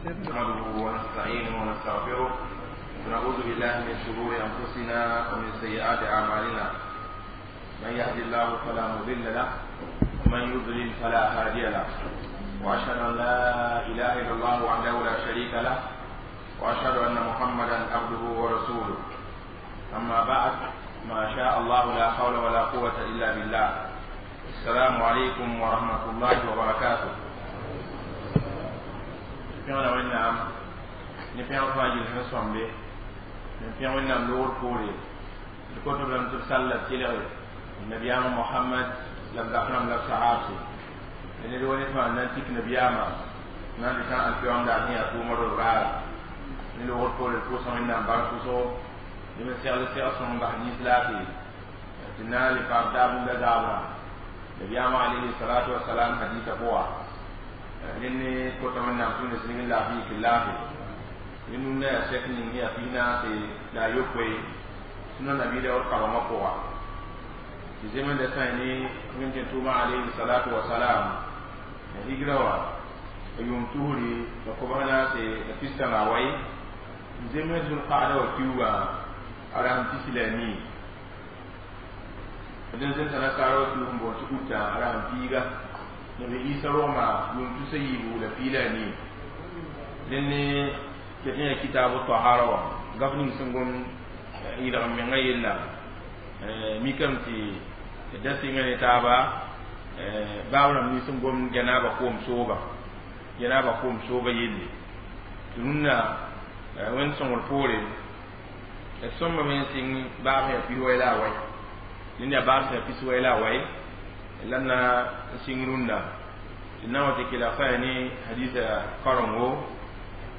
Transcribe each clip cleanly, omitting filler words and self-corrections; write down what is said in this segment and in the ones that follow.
نحمده ونستعينه ونستغفره ونعوذ بالله من شرور أنفسنا ومن سيئات أعمالنا. من يهد الله فلا مضل له ومن يضلل فلا هادي له. وأشهد أن لا إله إلا الله وحده لا شريك له، وأشهد أن محمدا عبده ورسوله. أما بعد، ما شاء الله لا حول ولا قوة إلا بالله. السلام عليكم ورحمة الله وبركاته. Pẽgda Wẽnnaam ne pẽgr fãa yel sẽn sõmbe ne pẽg Wẽnnaam loogr poore d kõtb lame tɩ b sall la b kelge nabiyaam Mohamad la b zak rãmb la b sahaabse ned wa ned fãa n na n tik nabiyaamã na n dɩ alkiyoom daar sẽn yaa tʋʋma rod raara ne loogr poore d pʋʋsã Wẽnnaam bark pʋsgo dẽ me segl segl sõng n bas nins laafee tɩ na n le paam taab n da zaabrã nabiyaamã alayhi salatu wasalam hadisa pʋga nenne kota Wẽnnaam tũud sig n laafɩ yik laafɩ ne nunda yaa sɛk ning yaa pis-naase la a yopoe sũna nabiida wall karengã pʋga tɩ zemenda sã ne Wẽnd tẽn tʋʋma alayhi salatu wasalam la higra wã a yʋʋm tusri la kobs naase la pistã la a wai n zems zulqaada wa kiuugã a rasem pisi la a nii d n zemsa nasaara wa kiuug n boond tɩ utã a rasem piiga nabi Isa rogma yʋʋm tusa yiibu la pii la a nii. Dẽnd ket n yaa kitaabu tahara wã gaf ning sẽn gom yɩlg n mengã yella mikame tɩ da sɩnga ne taaba baab rãmb nins n gom janaaba koom sooba janaaba koom sooba yelle tɩ rũnnã Wẽnd sõngr poore d sõmbame n sɩng baab sẽn yaa pis-wɛ la a wɛ dẽnd yaa baab sẽn yaa pis-wɛ la a wɛ la na n sɩng rũndã tɩ na wa tɩ kelg fãa ne hadisa karengo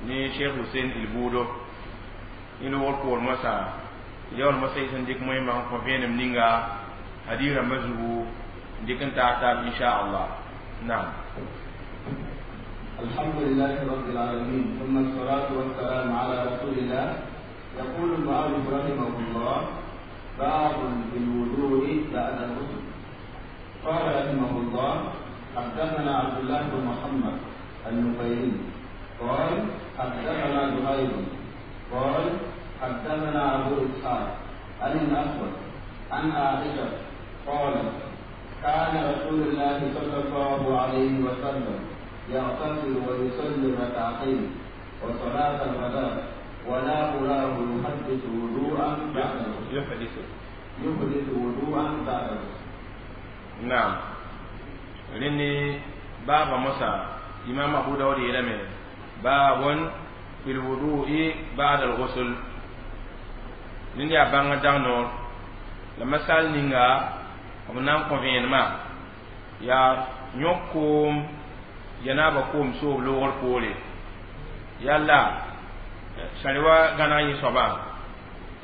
ne Cheikh Hussein Ilbuudo ne loogr poor moasã yaool moasã y sẽn dɩk moẽmã n kõ vẽenem ninga hadis rãmbã zugu n dɩk n taag taab inchallah. Naam. الحمد لله رب العالمين، ثم الصلاة والسلام على رسول الله. يقول المؤلف رحمه الله: باب في الوضوء بعد الغسل. قال رحمه الله: حدثنا عبد الله بن محمد النفيلي قال حدثنا زهير قال حدثنا أبو إسحاق عن الأسود عن عائشة قالت: كان رسول الله صلى الله عليه وسلم يغتسل ويصلي ركعتين وصلاة الغداء، ولا أراه يحدث وضوءا بعد الغسل. يحدث يحدث وضوءا بعد الغسل. نعم. Rẽnd baaba mosã imam Abu Dawud yeelame baabun fi lwudu'i ba'da al-ghusl. Rẽnd yaa bãngã dag noor la masal ninga b na n kõ vẽenemã yaa yõk koom janaaba koom soob loogr poore yalla sãr wa gãneg yẽ soabã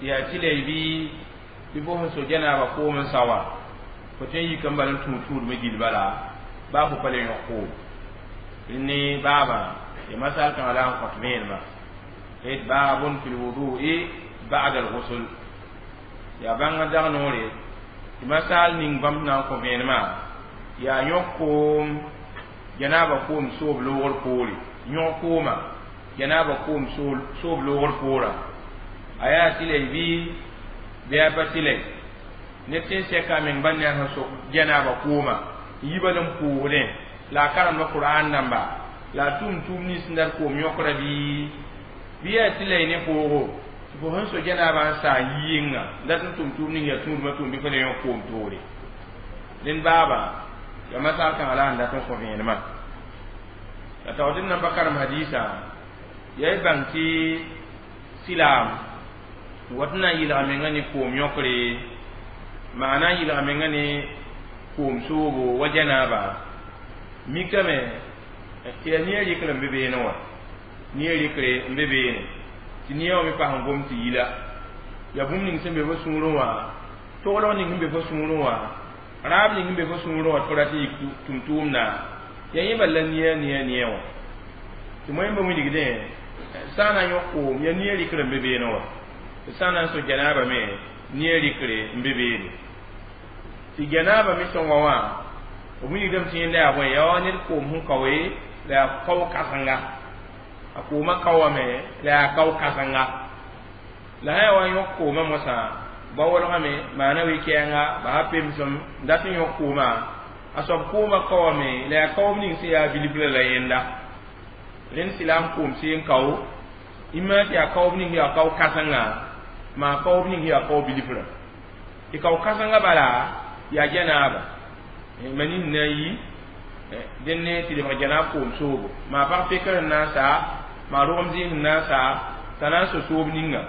tɩ yaa tɩ la y bɩ bɩ fo sẽn so janaaba koom n sa wã fo tõe n yik n bal n tũud tũudmã gill bala baa fo pa le yõk koom. Rẽnd baabã ya masal kãngã la n kõt vẽenemã d baabun fi lwudu'i ba'da al-ghusl yaa bãngã dag noore tɩ masal ning bãmb na n kõ vẽenemã yaa yõk koom janaaba koom soob loogr poore yõg kooma janaaba koom soob loogr poorã a yaa tɩ la y bɩ yaa pa tɩ la ned tɩ n sɛka a meng bãn yaa sẽn sok janaaba kooma n yi bal n pʋʋsdẽ la a karemda Qur'an dãmba la a tʋm tʋʋm nins n dat koom yõkra bɩ yaa tɩ la y ne poogo tɩ fo sẽn so janaabã n saa n yi yẽnga n dat n tʋm tʋʋm ning yaa tũudmã tʋʋm bɩ fa le yõk koom toore. Dẽnd baabã yaa masal kãngã la n dat n kõ vẽenemã la taoor tɩ d nan pa karem hadisa yaa y bãng tɩ silaam wat n na n yɩlga menga ne koom yõkre maana n yɩlga menga ne koom soobo wa janaaba mikame tɩ yaa nia rɩkr n be beene wã nia rɩkre n be beene tɩ nia wã me pas n gom tɩ yila yaa bũmb ning sẽn be fo sũurẽ wã toglg ning sẽn be fo sũurẽ wã raab ning sẽn be fo sũurẽ wã tɩ fo rat n yik tʋm-tʋʋmda yaa yẽ bal la nia nia nia wã tɩ moẽmba wilgdẽ sã n na n yõk koom yaa nia rɩkr n be beene wã tɩ sã n na n so janaaba me nia rɩkre n be beene tɩ janaaba me sõnga wã b wilgdame tɩ yẽnda yaa bõe yaa wa ned koom sẽn kaoe la yaa kao kãsenga. A koomã kaoowame la yaa kao kãsenga la sã yaa wa n yõk koomã mosã ba wolgame maana wɩ-kɛɛnga basa pemsem n dat n yõk koomã a soab koomã kaoowame la yaa kaoob ning sẽn yaa bilfrã la yẽnda rẽnd sɩlaam koom seen kao imã tɩ yaa kaoob ning yaa kao kãsenga maa kaoob ning yaa kao bilfrã tɩ kao kãsenga bala yaa janaaba mani sẽn na n yi dẽnne tɩ lebg janaab koom soobo maa pag pekr sẽn na n saa maa rogem zĩig sẽn na n saa t'a na n so soob ninga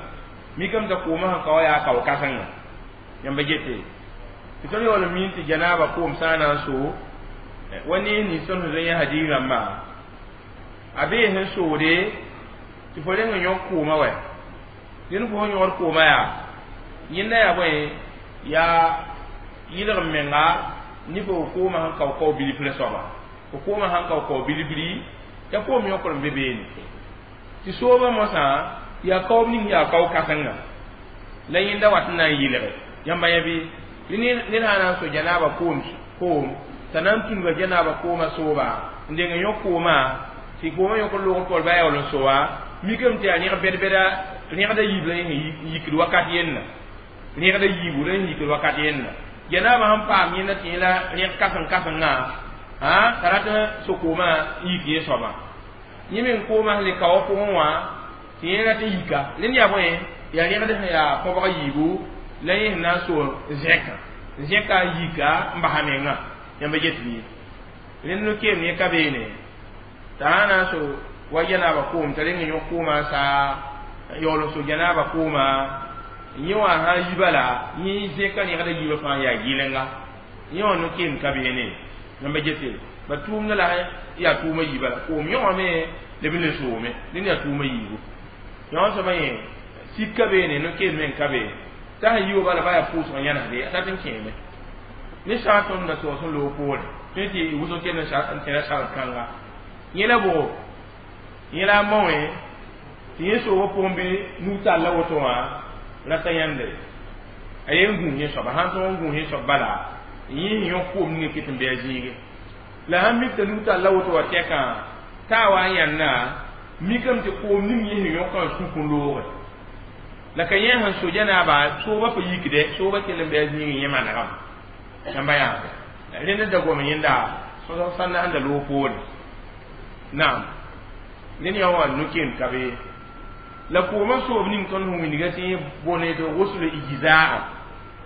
mikame t'a koomã sẽn ka wa yaa kao kãsenga yãmba gete tɩ tõnd yaool n miin tɩ janaaba koom sã n na n so wa nees nins tõnd sẽn zoe yã hadiis rãmba a bee sẽn soode tɩ fo reng n yõk koomã wɛ dẽnd fo sẽn yõgd koomã yaa yẽnda yaa bõe yaa yɩlg n menga ne fo koomã sẽn kao kao bilfrã soaba fo koomã sẽn kao kao bilfri t'a koom yõkr n be beene tɩ soobã mosã yaa kaoob ning yaa kao kãsenga la yẽnda wat n na n yɩlge yãmba yã bɩ ned sã na n so janaaba koom koom t'a na n tũnuga janaaba koomã sooba n deng n yõk koomã tɩ koomã yõk n loog tol ba yaool n soa mikame tɩ yaa rẽg bɛd-bɛda rẽgda yiib la yẽ yikd wakat yenna rẽgda yiibu la yẽ yikd wakat yenna janaaba sẽn paam yẽnda tɩ yẽ la rẽg kãseng-kãsengã t'a rat n so koomã n yik yẽ soabã yẽ meng koomã sẽn le kaoowã pʋgẽ wã tɩ yẽ rat n yika rẽnd yaa bõe yaa rẽgd sẽn yaa kõbg yiibu la yẽ sẽn na n so zẽkã zẽka n yika n basa mengã yãmba get bɩ rẽnd no-keem yẽ ka beene t'a sã na n so wa janaaba koom t'a reng n yõk koomã n saa yaool n so janaaba koomã yẽ wã sã n yi bala yẽ zẽka rẽgda yiibã fãa yaa gɩlenga yẽ wã no-keem ka beene yãmba gete ba tʋʋmdã la yaa tʋʋma yiibã la koom yõgame la b le soome dẽnd yaa tʋʋma yiibu yõ soaba yẽ sik ka beene no-keem meng ka be t'a sẽn yi wa bala ba yaa pʋʋsg yãnesde a tat n kẽeme ne sã tõnd da soos n loog poore tõe tɩ wʋsg kell n tẽra sard kãnga yẽ la bʋgo yẽ la a mao-wẽ tɩ yẽ soobã pʋgẽ bɩ nug-tall la woto wã rata yãnde a yen gũus yẽ soaba sãn tõog n gũus yẽ soab bala yẽ sẽn yõk koom ninga ket n bɩ a zĩige la sãn mik t'a nug-tall la woto wa tɛkã t'a wa n yãnna mikame tɩ koom ning yẽ sẽn yõkã n sũk n looge la ka yẽ sẽn so janaaba soobã pa yikde soobã kell n bɩ a zĩig yẽ manegame yãmba yaa rẽnd da gom yẽnda sãnda sẽn da loog poore naam ned yã wã no-keem ka be la koomã soob ning tõnd sẽn wilga tɩ yẽ bõne tɩ gosl ijzaa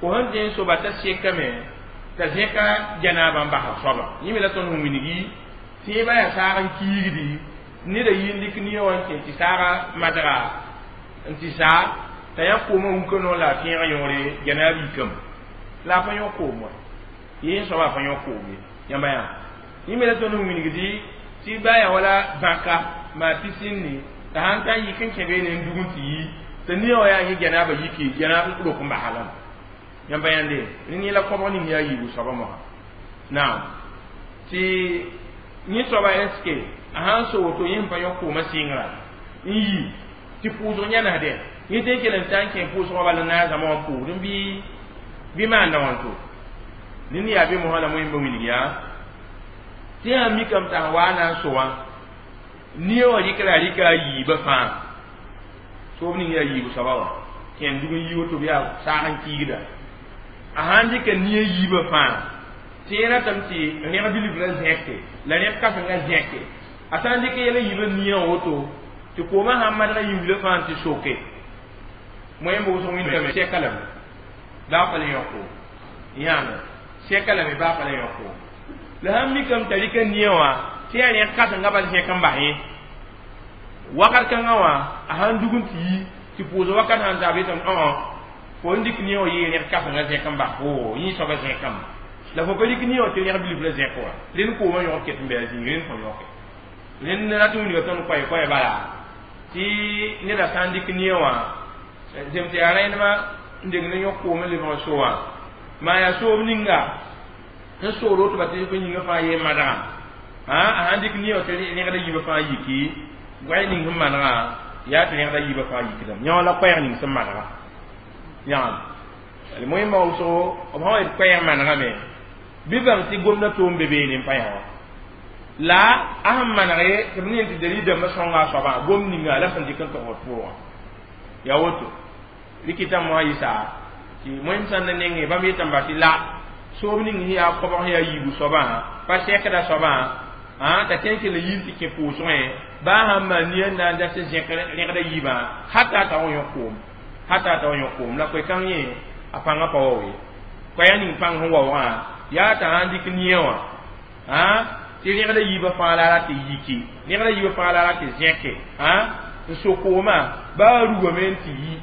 fo sẽn tɩ n soba t'a sekame t'a zẽka janaaba n basa soaba yẽ me la tõnd sẽn wilgi tɩ yẽ ba yaa saag n kiigdi neda yi n dɩk nia wã n kẽ tɩ saaga madga n tɩ saa t'a yã koomã wũka noor la a tẽegã yõore janaab yikame la a pa yõk koom wa yẽ soaba a pa yõk koom ye yãmba yã yẽ me la tõnd sẽn wilgdi tɩ ba yaa wala bãka maa pisinni t'a sãn ta n yik n kẽ beene n dug n tɩ yi t'a nia wã yaa yẽ janaaba yiki janaab rok n basa lame yãmba yãnde rẽnd yẽ la kõbg ning yaa yiibu soaba mosã naam tɩ yẽ soaba est-ce a sãn so woto yẽ sẽn pa yõk koomã sɩngra n yi tɩ pʋʋsg yãnesdɛ yẽ tɩ n kell n ta n kẽ pʋʋsgã bala n na n zãma wã pʋʋsd n bɩ maanda wãnto ned yaa be mosã la moẽmba wilg yaa tɩ yã mikame t'a sẽn waa na n so wã nia wã rɩkra a rɩka a yiibã fãa soob ning yaa yiibu soaba wã kẽn dug n yi woto bɩ yaa saag n kiigda a sãn dɩka nia yiibã fãa tɩ yẽ ratame tɩ rẽg bilf la zẽke la rẽg kãsenga zẽke a sã n dɩk yɛl n yiibã nia woto tɩ koomã sãn madga yiwlã fãa tɩ soke moẽmba wʋsg wĩndame sɛka lame baa pa le yõko yãame sɛka lame baa pa le yõko la sãn mikame t'a rɩka nia wã tɩ yaa rẽg kãsenga bal zẽk n bas yẽ wakat kãngã wã a sãn dug n tɩ yi tɩ pʋʋs wakat sãn ta b yetame õ fo n dɩk nia wã yee rẽg kãsenga zẽk n bas fo yẽ soaba zẽkame la fo pa dɩk nia wã tɩ rẽg bilf la zẽk wa rẽnd koomã yõg ket n bɩ a zĩig rẽnd fõ yõke rẽnd rat n wilga tõnd koɛ-koɛ bala tɩ neda sã n dɩk nia wã zem tɩ yaa rẽndmã n deng ne yõk koom n lebg n so wã maa yaa soob ninga n soor woto ba tɩ fo yĩngã fãa yee madgã a sãn dɩk nia wã tɩ rẽgda yiibã fãa yiki goɛɛ ning sẽn manegã yaa tɩ rẽgda yiibã fãa yikdame yã wã la koɛɛg ning sẽn manega yãam moẽmba wʋsgo b sã wa yet koɛɛg manegame bɩ bãng tɩ gomda toom be beene n pa yã wã La a sẽn maneg tɩ b ne tɩ dalil dãmbã sõnga a soabã gom ninga la sẽn dɩk n togd pʋgã ya woto rɩkɩtã moa yɩsa tɩ moẽm sãn na nengẽ bãmb yetame ba tɩ la soob ning sẽn yaa koabg sẽn yaa yiibu soabã pa sɛkda soabã t'a tõe n kell n yɩ tɩ kẽ pʋʋsgẽ baa sãn maan nia n na n dat zẽk rẽgda yiibã hata t'a wa yõ koom hata t'a wa yõ koom la koe-kãng yẽ a pãngã pa wao ye koɛɛg ning pãng sẽn waoogã yaa t'a sãn dɩk nia wã tɩ rẽgda yiibã fãa la ra tɩ yiki rẽgda yiibã fãa la ra tɩ zẽke n so koomã baa rugame n tɩ yi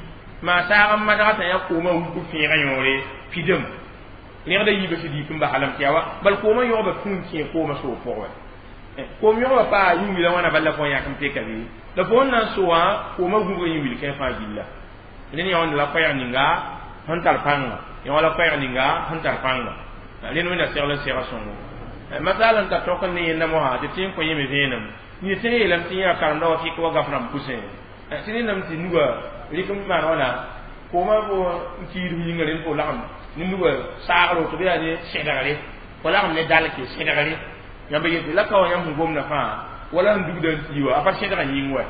maa saag n madga t'a yã koomã wuk fẽegã yõore pidem rẽgda yiibã sɩd yik n baslame tɩ yaa wa bal koomã yõgba tũun kẽ koomã soog pʋgẽ koom yõgba paa yĩngwila wãna bal la fo yãk n peka bɩ la fo n na n so wã koomã gũbga yĩngwil kẽ fãa gilla rẽnd yã la koɛɛg ninga sẽn tar pãnga yã la koɛɛg ninga sẽn tar pãnga rẽnd wẽnda segl n sega sõngo masala n tar tõk n ne yẽnda mosã tɩ tɩ n kõ yẽme vẽenem yẽ tɩ yeelame tɩ yã karemda wa fɩk wa gaf rãmb pʋsẽ tɩ nendame tɩ nuga rɩk n maan wãna koomã fo n kiidf yĩnga rẽnd fo lagem ne nuga saagr woto bɩ yaa ne sẽdgre fo lagem ne dalke sẽdgre yãmba yetɩ la ka wa yãmb sẽn gomda fãa wala sẽn dugda n tii wa a pa sẽdgã yĩng wa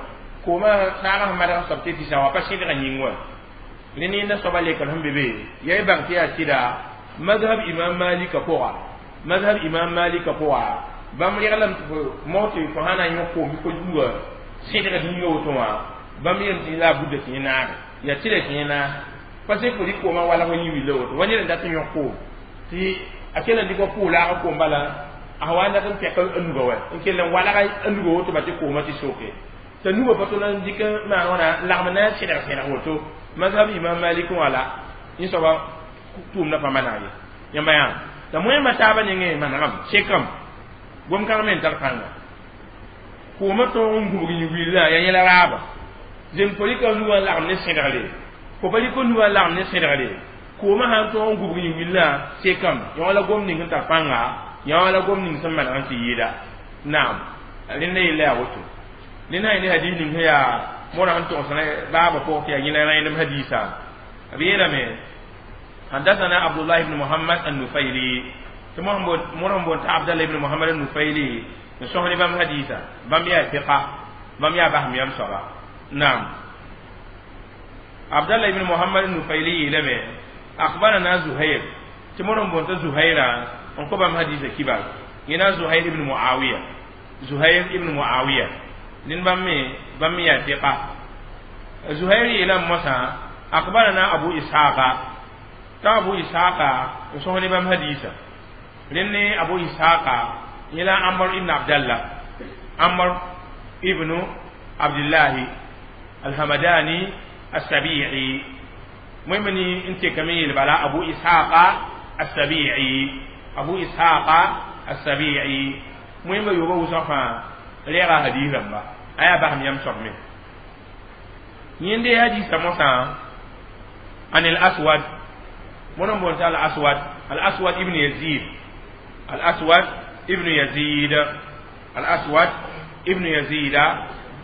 koomã saagã sẽn madg soab tɩ tɩsa wa a pa sẽdgã yĩng wa ne nenda soaba lekr sẽn be be yaa y bãng tɩ yaa sɩda mazhab imam malika pʋga mazhab imam malika pʋga bãmb reglame tɩ fo mog tɩ fo sã na n yõ koom fo nuga sẽdgd yĩnga woto wã bãmb yeelame tɩ la a buda tɩ yẽ naage yaa tɩ la tɩ yẽ naag parce que fo rɩk koomã walg yĩ willa woto wa ned n dat n yõk koom tɩ a kell n dɩk wa pʋʋ laag koom bala a wa n dat n pɛk a nuga wa n kell n walg a nuga woto ba tɩ koomã tɩ soke t'a nuga pa tol n dɩk n maan wãna n lagm na n sẽdg sẽdg woto mazhab imam malik wã la yẽ soaba tʋʋmdã pa maneg ye yãmba yaa t'a moẽmã taabã nengẽ manegame sekame gom-kãng me n tar pãnga koomã tõog n gũbg yĩn-wilã yaa yẽla raaba zem fo rɩka nugã n lagem ne sẽdgre fo pa rɩk nugã n lagem ne sẽdgre koomã sãn tõog n gũbg yĩn-wilã sekame yã la gom ning sẽn tar pãnga yã la gom ning sẽn maneg n tɩ yɩɩda naam rẽnda yella yaa woto rẽnd sã ne hadis ning sẽn yaa morã sẽn togsã baabã pʋgẽ tɩ yaa yẽla rẽndem hadisa b yeelame حدثنا عبد الله بن محمد النفيلي مرهم بن عبد الله بن محمد النفيلي نسوه بام حديثا بام يا ثقة بام يا بهم يم صبا نعم عبد الله بن محمد النفيلي لم أخبرنا زهير تمرهم بن زهير انكو بام حديثا كبار ينا زهير بن معاوية زهير بن معاوية لن بام يا ثقة زهير إلى موسى أخبرنا أبو إسحاق ta abu ishaqa so ne bam hadisa lenne abu ishaqa ila amr ibn abdullah amr ibn abdullah alhamadani as-sabi'i mu'mini inti kamil bala abu ishaqa as-sabi'i abu ishaqa as-sabi'i mu'min yoba usafa lera hadisa ba aya ba ham yam sokme yinde hadisa mosa an al-aswad monon bon ta al-aswad al-aswad ibn yazid al-aswad ibn yazid al-aswad ibn yazid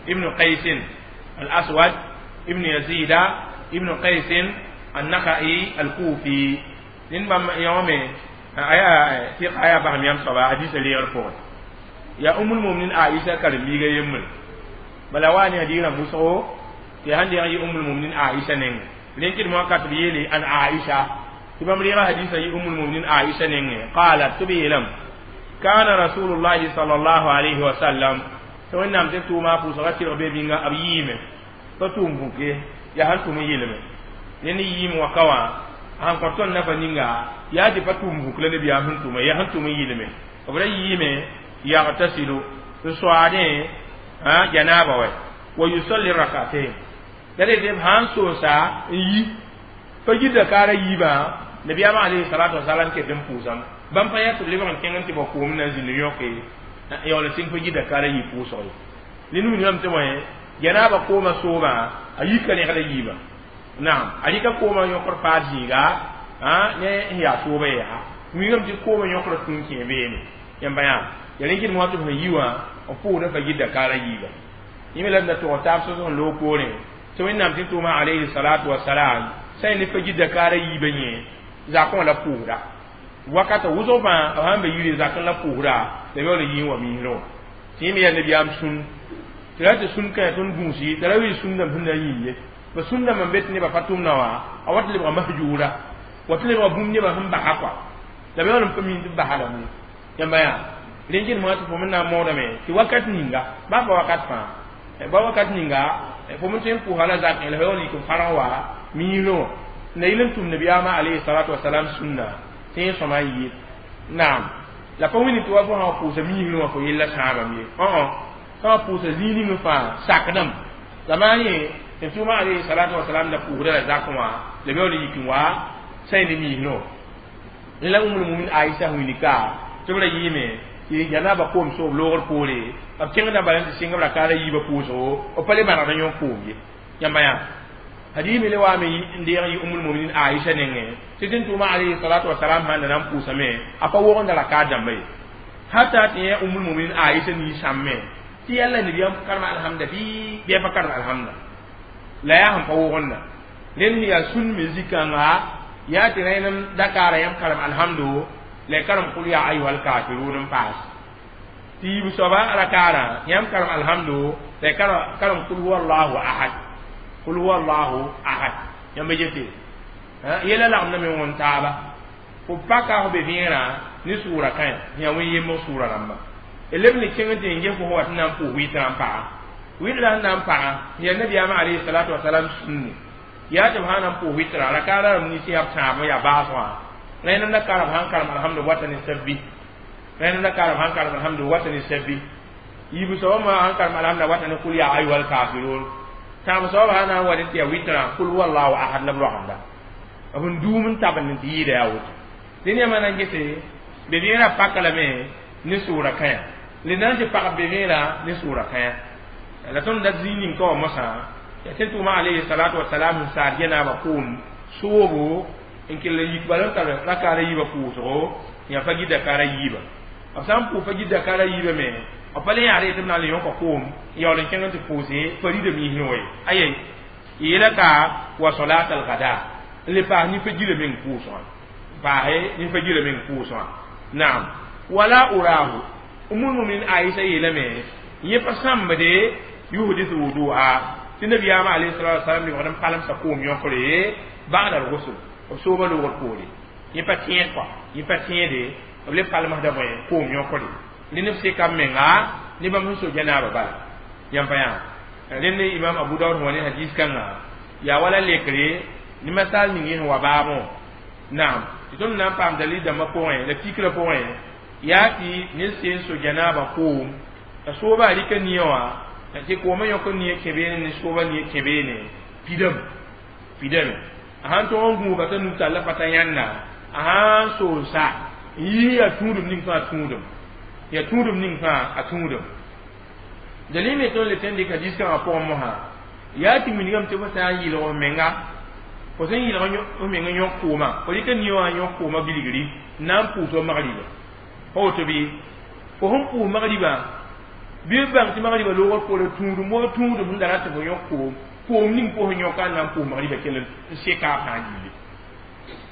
ibn qais al-aswad ibn yazid ibn qais an-nakhai al-kufi nin bam yawme aya ti aya ba yam saba hadith li al-fawd ya ummul mu'minin aisha karmiga yemmul bala wani hadira muso ti hande ya ummul mu'minin aisha nen lenkid mo kat bi an aisha تبام لي حديث أم المؤمنين عائشة نينه قالت تبيلم كان رسول الله صلى الله عليه وسلم تو نام تتو ما فوس غتي ربي بيغا أبييم فتوم بوكي يا هل توم يلم نني ييم وكوا أن كرتون نفا نينغا يا دي فتوم بوك لنبي أهن توم يا هل توم يلم وبلا ييم يغتسل سوادين ها جنابه ويصلي ركعتين دليل هان سوسا يي فجد كارا يبا نبي عليه الصلاة والسلام كدم پوسام بام فيا تبلي بام كينغ تي بوكوم نازل نيوكي يا ولا سين فجي دكار يي پوسو لنو نيام تي موي جنابا كوما سوما ايكا ني غلا ييبا نعم ايكا كوما يوكر فاجيغا ها ني يا سوبا يا ميغم تي كوما يوكر تونكي بيني يamba ya yalinkin mo to yiwa o pu da fagi da kara yiba yimi la to ta so so lo ko ne to wẽnnaam tɩ tʋʋma alayhi salatu wasalam sã ne fa gida kaara yiibã yẽ zakõ la pʋʋsda wakata wʋsg fãa b sãn be yire zakẽ la pʋʋsda la yaool n yɩ n wa miisrẽ wã tɩ yẽ me yaa nabiyaam sũn tɩ ra tɩ sũn kã tõnd gũusi t'a ra wɩ sũndame sẽn na n yĩi ye ba sũndame n be tɩ nebã pa tʋmdã wã a wat lebga mahjuura wa tɩ lebga bũmb nebã sẽn basa kɔa la b yaool n pa miin tɩ b basa lame yãmba yaa rẽn kelmã tɩ fo me na n moodame tɩ wakat ninga baa pa wakat fãa ba wakat ninga fo me tõe n pʋʋsa la zak la yaool yik n farg wa miisrẽ wã la yɩl n tʋm nabiyaamã alayhi salatu wasalam sũnna tɩ yẽ sõma n yɩɩd naam la pa wĩni tɩ wa fo sã wa pʋʋsa miisrẽ wã fo yella sãabame ye sã wa pʋʋsa zĩig ning fãa sakdame la maa yẽ tɩ tʋʋma alayhi salatu wasalam da pʋʋsda la zakẽ wã la b yaool n yik n wa sã ne miisrẽ wã la Ummul Mu'minin Aisha wĩnika tɩ b ra yɩɩme tɩ janaba koom soob loogr poore b kẽngda bala n tɩ sɩng b rakaada yiibã pʋʋsgo b pa le manegd n yõk koom ye yãmba yaa hadith mi le waame n deeg n yɩ Ummul Mu'minin Aisha nengẽ tɩ tɩ n tʋʋma alayhi salatu wasalam sãn da na n pʋʋsame a pa wogenda rakaad dãmba ye hata tɩ yẽ Ummul Mu'minin Aisha ninsãmme tɩ yalla nabiyaam karem alhamda bɩ a pa karem alhamda la yaa sẽn pa wogenda rẽnd yaa sũn me zikãnga yaa tɩ rẽnem dakaara yãmb karem alhamdo la y karem qul ya ayuha alkafirun n paas tɩ yiib soaba rakaarã yãmb karem alhamdo la y karem qul huwa allahu ahad qul huwa allahu ahad yãmb gete yɛla lagmda me wõn taaba fo paka fo be vẽerã ne sʋʋra kãe yã wẽn yembg sʋʋra rãmba leb ne kẽng tɩ n ges fo wa tɩ na n pʋʋs wɩtrã n paga wɩtrã sẽn na n paga yaa nabiyaamã alayhi salatu wasalam sũnne yaa tɩ b sã na n pʋʋs wɩtrã rakaada rãmb nins yaa b tãab yaa baasgã rẽnd la karem sãn karem alhamdu wata ne sabbi rẽnd la karem sãn karem alhamdu wata ne sabbi yiib soaba ma sãn karem alhamda wata ne kul ya ayuha alkafirun tãab soaba sã na n wa ne tɩ yaa wɩtrã kul huwa allahu ahad la b roagenda b n duum n tabend tɩ yɩɩda yaa woto dẽn yãmba na n gese be vẽerã paka lame ne sʋʋra kãya le na n tɩ pag be vẽerã ne sʋʋra kãya la tõnd dat zĩig ning ka wã mosã yaa tɩ tʋʋma alayhi salatu wasalam n saad yɛnaabã koom soobo n kell n yik bala n tar rakaara yiibã pʋʋsgo yã fa gɩ dakaara yiibã b sã n pʋʋs fa gɩ dakaara yiibã me b pa le yãad tɩ b na n le yõka koom n yaool n kẽng n tɩ pʋʋse farida miisrẽ wa ye aye yeela ka wa salat al-gada n le paas nin-fa-gilã meng pʋʋsgã paase nin-fa-gilã meng pʋʋsgã naam wala urahu Ummul Mu'minin Aisha yeelame yẽ pa sãmbde yuhdithu wudu'a tɩ nabiyaamã alayhi salatu wasalam lebgd n palemsa koom yõkre ba'da al-ghusl b sooba loogr poore yẽ pa tẽed kɔa yẽ pa tẽede b le palmsda bõe koom yõkre rẽnd b seka b menga ne bãmb sẽn so janaaba bala yãmb pa yaa rẽnd imam Abu Dawud sẽn wa ne hadis kãnga yaa wala lekre ne masal ning yẽ sẽn wa baabẽ naam tɩ tõnd na n paam dalil dãmbã pʋgẽ la tikrã pʋgẽ yaa tɩ ned seen so janaaba koom la sooba rɩka nia wã tɩ koomã yõk n nia kẽ beene ne sooba nia kẽ beene pidame pidame a sãn tõg n gũuga t'a nug talla pa t'a yãnna a sãn sool sa n yii yaa tũudum ning fãa tũudum yaa tũudum ning fãa a tũudum dalil me tõnd le tõe n dɩk hadis kãngã pʋgẽ mosã yaa tɩ wilgame tɩ fo sã n yɩlg f menga fo sẽn yɩlg f meng n yõk koomã fo rɩka nia wã n yõk koomã bilgri n na n pʋʋs wa magriba pa woto bɩ fo sẽn pʋʋs magribã bɩ b bãng tɩ magriba loogr poorã tũudum wa tũudum sẽn da rat tɩ fo yõk koom koom ning pʋsẽ yõka n na n pʋʋs magriba kell n seka a fãa yiile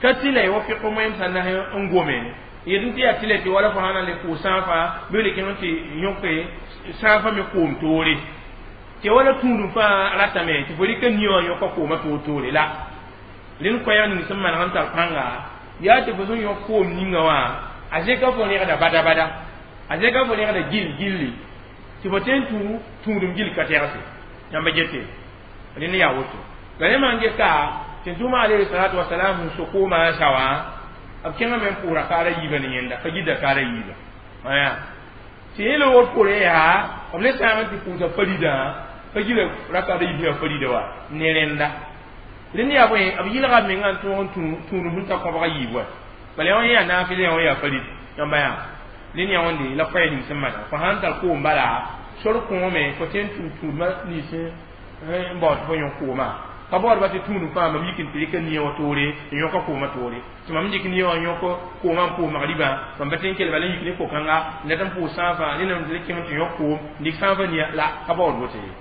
ka tɩ la y wa fɩk moẽm sã nas n gome yetɩ tɩ yaa tɩ la tɩ wala fo sã na n le pʋʋs sãafã bɩ le kẽng tɩ yõke sãafã me koom toore tɩ wala tũudum fãa ratame tɩ fo rɩka nia wã yõka koomã toor-toore la rẽnd koɛɛg ning sẽn maneg n tar pãnga yaa tɩ fo sẽn yõk koom ninga wã a zẽka fo rẽgda bada-bada a zẽka fo rẽgda gil gilli tɩ fo tõe n tũ tũudum gil ka tɛgse yãmba gete rẽnd yaa woto la rẽ maan ges ka tɩ tʋʋma alayhi salatu wasalam sẽn so koomã n sa wã b kẽngame n pʋʋs rakaara yiibã ne yẽnda fa gɩ dakaara yiibã aya tɩ yẽ loogr poorẽ yaa b le sãag n tɩ pʋʋsa faridã fa gɩ rakaada yiib yaa farida wa ne rẽnda rẽnd yaa bõe b yɩlga b mengã n tõog n tũudum sẽn ta kõbga yiib wa bala yã yaa naafɩl yã yaa farid yãmba yaa rẽnd yaa wãnde la koɛɛ ning sẽn mana fo sãn tar koom bala sor kõome fo tõe n tũ tũudmã nins n baood fo yõk koomã ka baoodba tɩ tũudum fãa mam yik n tɩ rɩka nia wã toore n yõka koomã toore tɩ mam dɩk nia wã yõk koomã n pʋʋs magribã mam pa tõe n kell bala n yik ne ko-kãnga n dat n pʋʋs sãafã rẽnd n le kẽng tɩ yõk koom n dɩk sãafã nia la ka baood woto ye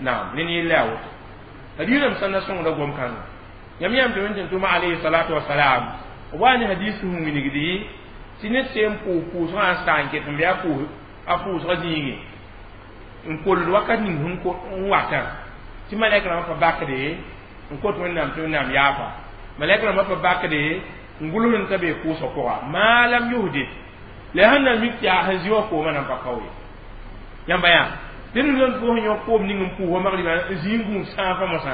naam rẽnd yella yaa woto hadiisame sã na sõngda gom-kãnga yãmb yãmb tɩ wẽn tɩ tʋma alayhi salatu wasalam b wa ne hadis sẽn wilgdi Tɩ ned sẽn pʋʋs pʋʋsgã n sa n ket n bɩ a pʋʋsgã zĩige n kold wakat ning sẽn n watã tɩ malɛk rãmbã pa bakde n kot Wẽnnaam tɩ Wẽnnaam yaafa malɛk rãmbã pa bakde n gʋls n ta bee pʋʋsgã pʋga maa lam yusdɩ la sẽn na mik tɩ yaa sẽn zĩ wã koomã nan pa kao ye yãmba yaa tɩ ned sẽn pʋʋs yõk koom ning n pʋʋs wa magribã n zĩ n gũus sãafã mosã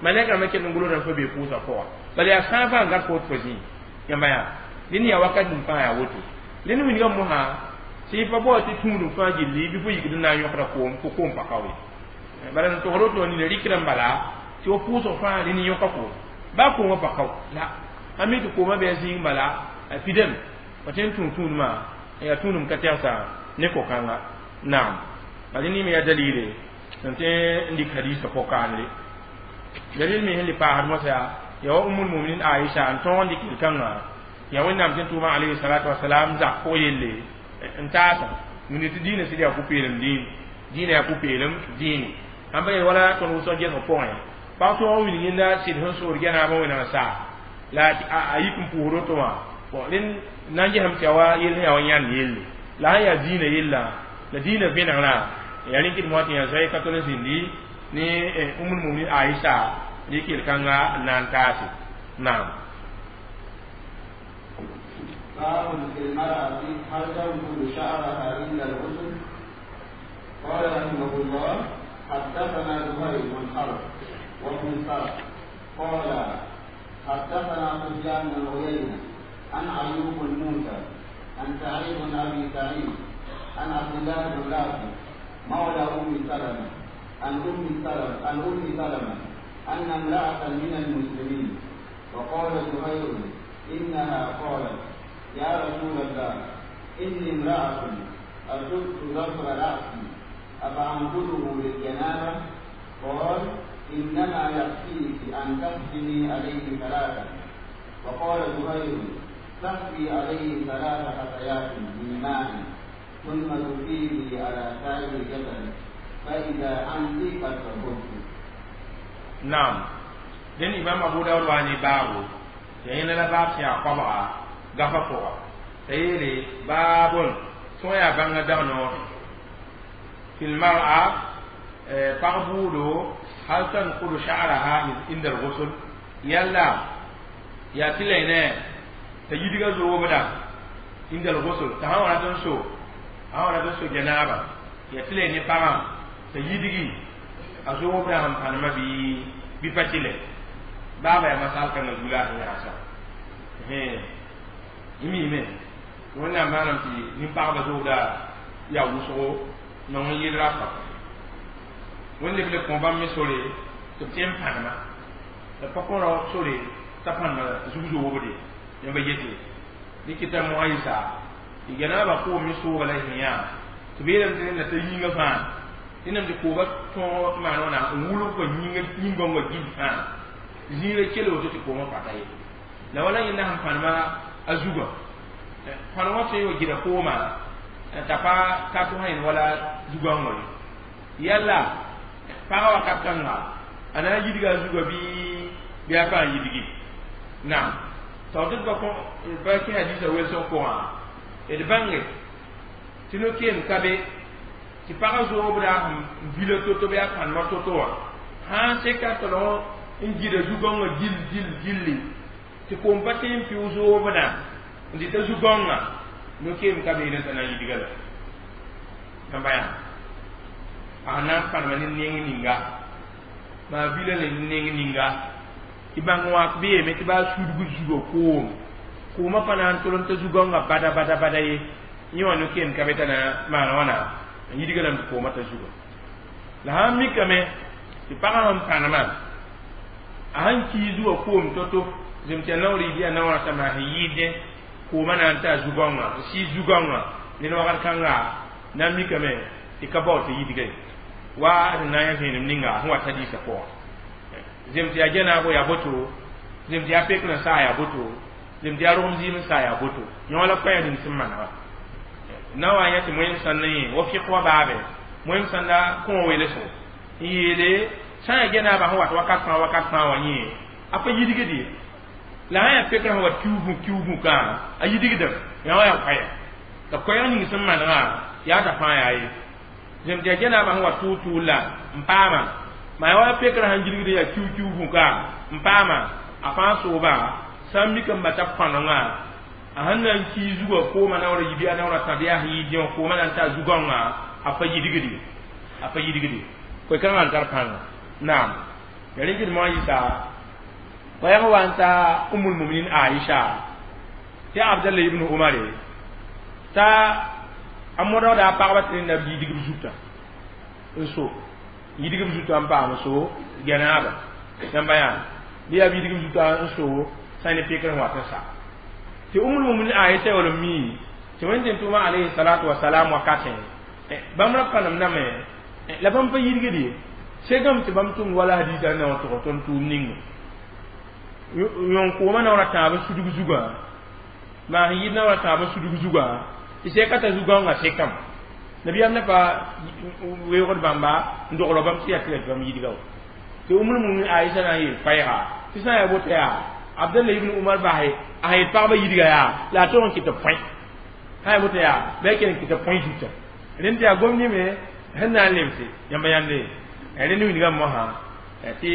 malɛk rãmbã kell n gʋls n pa bee pʋʋsgã pʋga bala yaa sãafã n gãd koot fo zĩig yãmba yaa dẽnd yaa wakat ning fãa yaa woto dẽnd wilgã mosã tɩ pa bao tɩ tũudum fãa gilli bɩ fo yikd n na n yõkda koom fo koom pa kao ye bala n togsd woto nina rɩkdã n bala tɩ fo pʋʋsg fãa rẽnd yõka koom baa koomã pa kao la a mi tɩ koomã bɩ a zĩig bala a pidame pa tõe n tũu tũudmã yaa tũudum ka tɛgsa ne ko-kãnga naam bala nime yaa dalile sẽn tõe n dɩk hadiisã po-kaanre dalil me sẽn le paasd mosã yaa wa Ummul Muminin Aisha n tõog n dɩk yel-kãngã yaa Wẽnnaam tɩ n tʋʋma alayhi salatu wasalam zak pʋg yelle n taasa wĩnde tɩ diinã sɩd yaa pʋ-peelem diin diinã yaa pʋ-peelem diine sãn pa yel wala tõnd wʋsg gesg pʋgẽ pag tõog n wilg yẽnda sɩd sẽn sood gɛnaabã wẽnnaam saa la a yik n pʋʋsd woto wã bon rẽnd na n gesame tɩ yaa wa yell sẽn yaa wa yãnd yelle la sẽn yaa diinã yella la diinã vẽnegrã yaa rẽn kɩt moa tɩ yã zoe ka tol n zĩndi ne Ummul Muminin Aisha rɩk yel-kãnga n na n taase naam. باب في المرأة هل تنقض شعرها عند الغسل؟ قال رحمه الله حدثنا زهير بن حرب وابن سرح قال حدثنا سفيان بن عيينة عن أيوب بن موسى عن سعيد بن أبي سعيد عن عبد الله بن رافع مولى أم سلمة عن أم سلمة أن امرأة من المسلمين. وقال زهير إنها قالت يا رسول الله إني امرأة أصبت ظفر رأسي أفأنقضه للجنابة؟ قال إنما يكفيك أن تحسني عليه ثلاثة. وقال زهير تحفي عليه ثلاث حثيات من ماء ثم تفيضي على سائر جسدك فإذا أنت قد طهرت. نعم دين إمام أبو داود واني بابو يعني لا باب سيا قبعة gafa pʋga t'a yeele baabon sõa yaa bãnga dag noore fi lmar'a pag buudo hal tanqudu sha'raha inda al-ghusl yalla yaa tɩ la ne t'a yidga zoobda inda al-ghusl t'a sã wa rat n so a wa rat n so janaaba yaa tɩ la ne pagã t'a yidgi a zoobda sẽn pãnema bɩ pa tɩ lɛ baaba yaa masal kãngã zugu la a sẽn yaasa mime Wẽnnaam maanam tɩ nin-pagba zoogda yaa wʋsgo nong n yɩl rapa Wẽnd leb le kõ bãmb me sore tɩ b tẽ n pãnema la pa kõ rao sore t'a pãnema zug zoobde yãmba yete dɩkɩta moaɩsa tɩ gɛnaabã koom me sooga la sẽn yaa tɩ b yeelame tɩ rẽnda t'a yĩngã fãa rẽndame tɩ koobã tõog maan wãna n wʋlg kõ yĩn-gõngã gil fãa zĩiga kell woto tɩ koomã pata ye la wala yẽnda sẽn pãnema a zugã pãn wã tõe wa gɩda koomã t'a pa ka tʋ sã wala zugãngã ye yalla pagã wakat kãnga a na n yidga a zugã bɩ a pa n yidgi naam t'a tɩ b pa kẽ hadiisã welsg pʋgã d bãnge tɩ no-keem ka be tɩ pagã zoobda sẽn vila to-to bɩ a pãnema to-to wã sãn seka tolg n gɩda zugãngã gil gil gilli tɩ koom pa tẽ n pɩʋ zoobdã n dɩta zu-gãongã no-keem ka beelẽ t'a na n yidga la yãmba yaa a sẽn na n pãnema ne neng ninga maa vila le ne neng ninga tɩ bãng wãk bɩ yeeme tɩ baa sudg zugã koom koomã pa na n tol n ta zu-gãongã bada bada bada ye yẽ wã no-keem ka be t'a na maan wãna n yidga lame tɩ koomã ta zugã la sãn mikame tɩ pagã sẽn pãnema a sẽn kii zugã koom to-to zem tɩ a naoor yɩ bɩ a naoorã t'a maa sẽn yɩɩdẽ koomã na n ta zu-gãongã n sɩɩ zu-gãongã ned wagd kãnga na n mikame tɩ ka bao tɩ yidga ye wa d na n yã vẽenem ninga sẽn wa ta diisã pʋgã zem tɩ yaa janaabo yaa boto zem tɩ yaa pek n saa yaa boto zem tɩ yaa rogem zɩɩm n saa yaa boto yõ la koɛɛg ning sẽn manega na wa yã tɩ moẽm sãn na yẽ wa fɩk wa baabe moẽm sãn la kõo weelesgo n yeele sã n yaa janaabã sẽn wat wakat fãa wã yẽ a pa yidgd ye La sã yaa pekrã sẽn wa kiuugẽ kã a yidigdem yã wã yaa koɛɛg la koɛɛg ning sẽn manegã yaa t'a fãa yaa ye zem tɩ yaa janaabã sẽn wa tʋʋg-tʋʋl la n paama maa yaa wa pekrã sẽn gilgd yaa kiu-kiuugẽ ka n paama a fãa soobã sã n mik n bata pãnengã a sẽn na n kii zugã koomã naoora yibi a naoora tã bɩ yaa sẽn yɩ dẽ wã koomã na n ta zugãngã a pa yidigdi a pa yidigdi koe-kãngã n tar pãnga naam ya rẽ gɩdmã yɩsa koɛɛg wa n ta umul muminin Aisha tɩ Abdallah ibn Umar t'a a modgda a pagba tɩ rẽnda b yidigb zuta n so yidigb zuta n paam so gɛnaaba yãmba yaa bɩ yaa b yidigb zuta n so sã ne pekr sẽn wat n sa tɩ umul muminin Aisha wala mi tɩ Wẽnd tʋʋma alayhi salatu wasalam wakatẽ bãmb ra pãnem name la bãmb pa yidgd ye segame tɩ bãmb tʋmd wala hadisa na wã tʋg tõnd tʋʋm ninga yõn koomã naoora tãab sudg zugã maa sẽn yɩd naoora tãab sudg zugã tɩ sɛka t'a zugãngã sekame nabiyaam na pa weoogd bãmba n dogl bãmb tɩ yaa tɩ la tɩ bãmb yidga wa tɩ umul mumin Aisha na n yeel koɛɛga tɩ sã n yaa woto yaa Abdallah ibn Umar base a sẽn yet pagba yidga yaa la a tog n kɩ tɩ põe sã n yaa woto yaa bɩ a kell n kɩ tɩ põe zuta rẽnd tɩ yaa gom nime sẽn na n lemse yãmba yãnde rẽnd wilgame mosã tɩ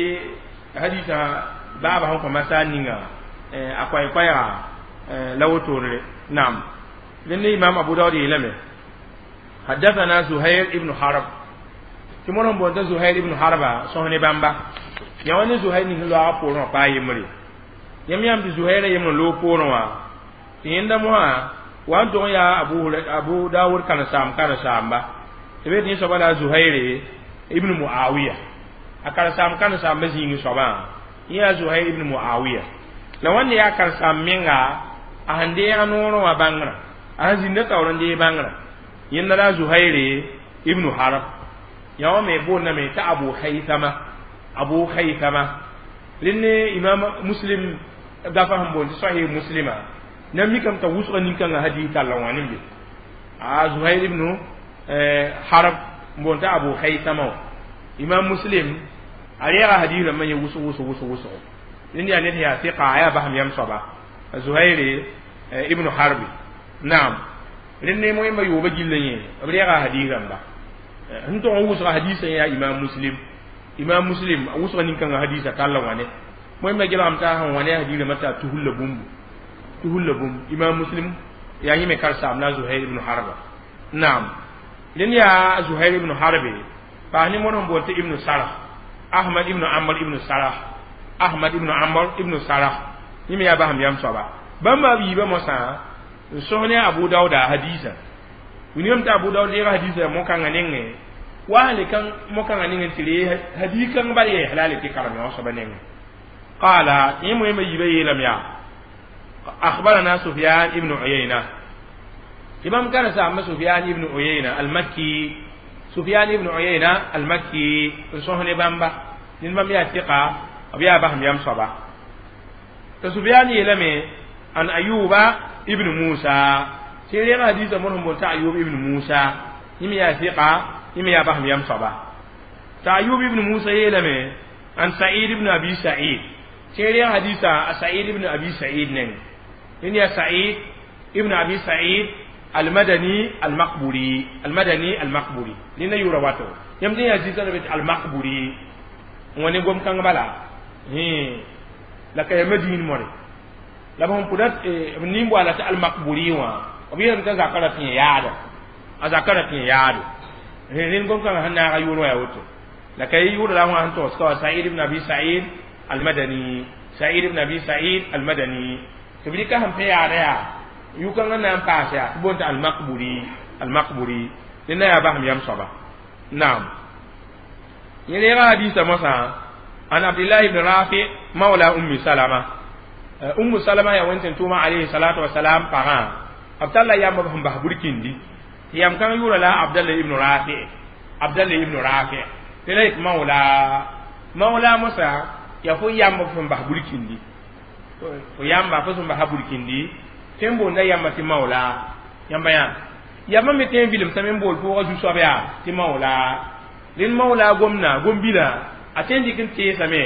hadisã baaba sẽn kõ masaar ninga a koɛɛ-koɛɛga la wotone naam rẽnd imam Abu Daud yeelame حدثنا زهير ابن حرب tɩ modg n boond t'a Zuhair ibn Harba sõs ne bãmba yã wa ne Zuhair ning loaga poorẽ wã paa yembre yãmb yãmb tɩ Zuhairã yembre loog poorẽ wã tɩ yẽnda mosã wa n tog n yaa Abu Dawud karen-saam karen-saamba tɩ be tɩ yẽ soaba la Zuhair ibn Muawiya a karen-saam karen-saamba zĩig soabã yẽ yaa Zuhair ibn Muawiya la wãnde yaa karen-saam menga a sẽn deega noorẽ wã bãngrã a sẽn zĩnda taoor n deeg bãngrã yẽnda la Zuhair ibn Harb yã wã me boondame t'a Abu Haithama Abu Haithama rẽnd ne imam Muslim gafa sẽn boond tɩ Sahih Muslima na mikame t'a wʋsga nin-kãngã hadis talla wã ne be a Zuhair ibn Harb n boond t'a Abu Haithama wã imam Muslim a reega hadis rãmbã yẽ wʋsg wʋsg wʋsg wʋsgo rẽnd yaa ned yaa sɩka a yaa basem yam soaba Zuhair ibn Harbi naam rẽnd ne moẽmba yooba gilla yẽ b reega hadis rãmba sẽn tog n wʋsga hadisã yaa imam Muslim imam Muslim a wʋsga nin-kãngã hadisa talla wãne moẽmba gelgame t'a sẽn wã ne a hadis rãmbã t'a tuhulla bũmbu tuhulla bũmb imam Muslim yaa yẽ me karen-saam la Zuhair ibn Harba naam rẽnd yaa Zuhair ibn Harbe paas ne modg n boond tɩ ibn Sarah Ahmad ibn Amr ibn Sarah Ahmad ibn Amr ibn Sarah yẽ me yaa basem yam soaba bãmba b yiibã mosã n sõs ne Abu Dauda hadisa wilgame tɩ Abu Daud deega hadisa mo-kãngã nengẽ wa sẽn le kãng mo-kãngã nengẽ tɩ ree hadis kãng bal yɛɛs la a le tɩ karem yã wã soaba nengẽ qaala yẽ moẽmba yiibã yeelame yaa أخبرنا سفيان ابن عيينة إمام كان سامة سفيان ابن عيينة المكي سفيان ابن عيينة المكي صهن بامبا نين يا ثقة أبيا بهم يم صبا سفيان يلمي عن أيوب ابن موسى سيري حديث منهم بولتا أيوب ابن موسى يم يا ثقة يم يا بهم يم صبا أيوب ابن موسى يلمي عن سعيد ابن أبي سعيد سيري حديث سعيد ابن أبي سعيد نين إن يا سعيد ابن أبي سعيد المدني المقبوري المدني المقبوري لأن يورواته يمدي يا جيزة المقبوري wani gom kãng bala la ka ya madin more la b sẽn pʋda b nin-boala tɩ almakburi wã b yeelame t'a zakã ra tɩ yaada a zakã ra tɩ yaado rẽnd gom kãngã sẽn naaga yʋʋr wã yaa woto la ka yʋʋr la wã sẽn togs ka wa Said ibn Abi Said almadani Said ibn Abi Said almadani tɩ b rɩka sẽn pẽ yaada yaa yʋ-kãngã na n paas yaa tɩ boond tɩ almakburi almakburi ned na yaa basem yam soaba naam yẽ reega hadisa mosã an Abdullah ibn Rafi mawla Ummi Salama Ummu Salama yaa wẽn tʋʋma alayhi salatu wasalam pagã b talla yamba sẽn bas burkindi tɩ yam kãng yʋʋra la Abdallah ibn Rafi Abdallah ibn Rafi tɩ la yet mawla mawla mosã yaa fo yamba sẽn bas burkindi fo yamba fo sẽn basa burkindi tɩ n boonda yamba tɩ mawla yãmba yã yamba me tẽ n vilemsame n bool pʋʋgã zu-soab yaa tɩ mawla rẽnd mawla gomna gom-bila a tõe n dɩk n teesame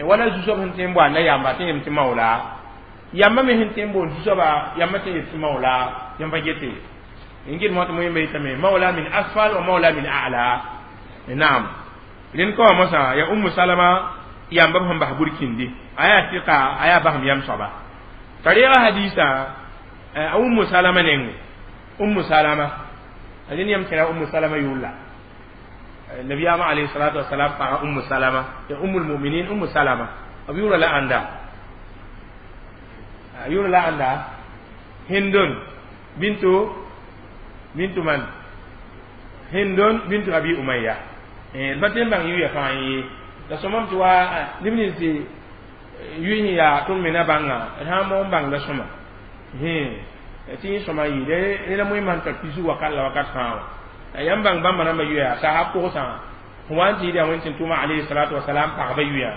wala zu-soab sẽn tõe n boanda yamba tɩ yem tɩ mawla Yãmba me sẽn tõe n boond zu-soaba yãmba tõe n yet tɩ maoola yãmba gete n gɩd mo tɩ moẽmba yetame maoola min asfal wa maoola min a'la naam rẽnd ka wã mosã ya Ummu Salama yãmba b sẽn bas burkindi a yaa tɩka a yaa basem yam soaba t'a reega hadiisã a Ummu Salama nengẽ Ummu Salama rẽnd yãmb kẽra Ummu Salama yʋʋr nabiyaamã alayhi salatu wasalam pagã Ummu Salama ya Ummul Muminin Ummu Salama b yʋʋra la ãnda yʋʋra la ãnda Hindun bintu man Hindun bintu Abi Umayya d pa tõe n bãng yʋya fãa ye la sõmam tɩ wa neb nins yʋɩ yaa tõnd me na bãnga d sã n moon bãngda sõma tɩ yẽ sõma yɩɩde rẽ la moẽmã sẽn tar pisg wakat la wakat fãa wã yãmb bãng bãmba rãmbã yʋya sahab kogsã fo wa n tɩ yɩl yaa wẽnd tɩ tʋma alayhi salatu wasalam pagba yʋya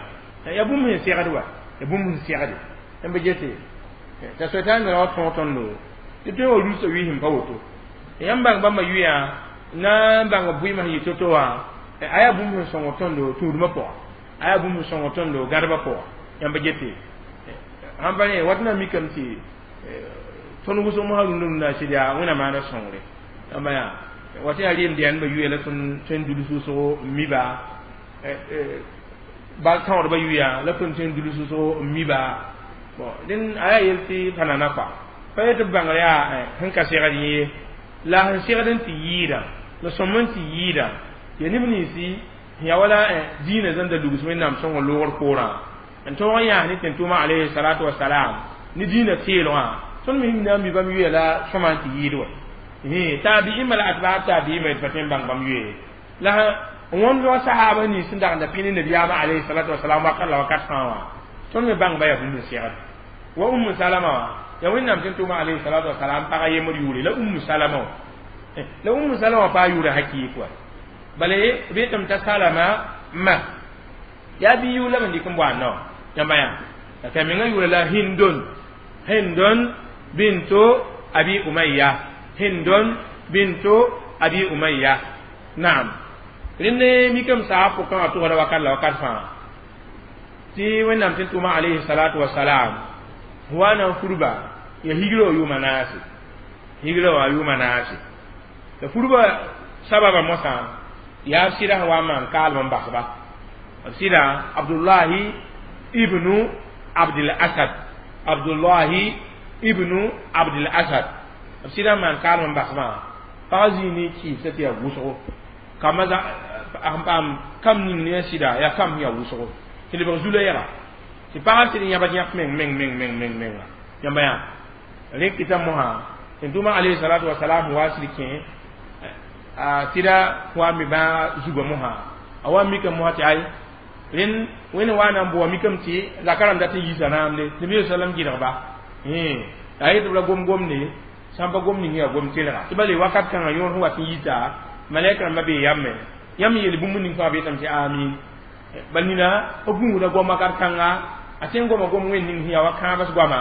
yaa bũmb sẽn segd wa ya bũmb sẽn segde yãmb gete t'a soɛtã me ra wa tõog tõndo tɩ tõe wa rusa wɩɩsem pa woto yãmb bãng bãmba yʋya na n bãng b bʋɩmã sẽn yɩ to-to wã a yaa bũmb sẽn sõng tõndo tũudmã pʋga a yaa bũmb sẽn sõng tõndo gãdbã pʋga yãmb gete sãn pa ne wat na mikame tɩ tõnd wʋsg mosã rũndã rũndã sɩd yaa wẽnnaam maana sõngre yãmba yaa wat yaa reem dɛɛnbã yʋya la tõnd tõe n dulus wʋsgo n miba bal tãoodbã yʋya la tõnd tõe n dulus wʋsgo n miba bon dẽn a yaa yel tɩ pa nana kɔa pa yetɩ b bãngr yaa sẽn ka segd yẽ la sẽn segd n tɩ yɩɩda la sõm n tɩ yɩɩda ya neb ninsi ya wala diinã zãnda lugs wẽnnaam sõngr loogr poorã n tõog n yaas ne tẽn-tʋʋmã alayhi salatu wasalam ne diinã teelgã tõnd me na n mi bãmb yʋya la sõma n tɩ yɩɩd wa taabi'imã la atbaa taabi'imã d pa tõe n bãng bãmb yʋe la n wõmd wa sahaba nins sẽn dag n da pĩ ne nabiyaamã alayhi salatu wasalam wakat la wakat fãa wã tõnd me bãng ba yaa bũmb n segd wa Ummu Salama wã ya wẽnnaam tẽn tʋʋmã alayhi salatu wasalam pagã yembr yʋʋre la Ummu Salama wã la Ummu Salama wã paa yʋʋrã hakɩɩk wa bala b yetame t'a Salama ma yaa bɩ yʋʋr la b n dɩk n boa nao yãmba yã la t'a mengã yʋʋra la Hindun bintu Abi Umayya Hindun bintu Abi Umayya naam rẽnd mikame saab pʋkã wã tʋgda wakat la wakat fãa tɩ wẽnnaam tẽn tʋʋmã alayhi salatu wasalam wa na n furba ya higrã wã yʋʋma naase higrã wã yʋʋma naase la furba sababa mosã yaa b sɩda sẽn wa n maan kaalem n basba b sɩda Abdullahi ibnu Abdil Asad Abdullahi ibnu Abdil Asad b sɩda n maan kaalem n basbã pagã zĩig ne kɩɩsã tɩ yaa wʋsgo kambã sẽn paam kam ning ne a sɩda yaa kam sẽn yaa wʋsgo tɩ lebg zula yɛga tɩ pagã sɩd n yãbd yãk meng meng meng meng meng menga yãmba yaa rẽ kɩta mosã tɩ tʋʋmã alayhi salatu wasalam wa sɩd kẽ a sɩda wa me bãaga zugã mosã a wa mikame mosã tɩ ay rẽnd wẽnd wa na n boa mikame tɩ zaka rãmb dat n yiisa naamde nabi sallam gɩdgba a yetɩ b la gom-gomde sãn pa gom ning yaa gom telga tɩ bale wakat kãngã yõor sẽn wat n yita malɛk rãmbã bee yãmbe yãmb yeel bũmb ning fãa b yetame tɩ amin bal nina b gũuda goam wakat kãnga a tõe n goma gom wẽnd ning sẽn yaa wa kãabs goama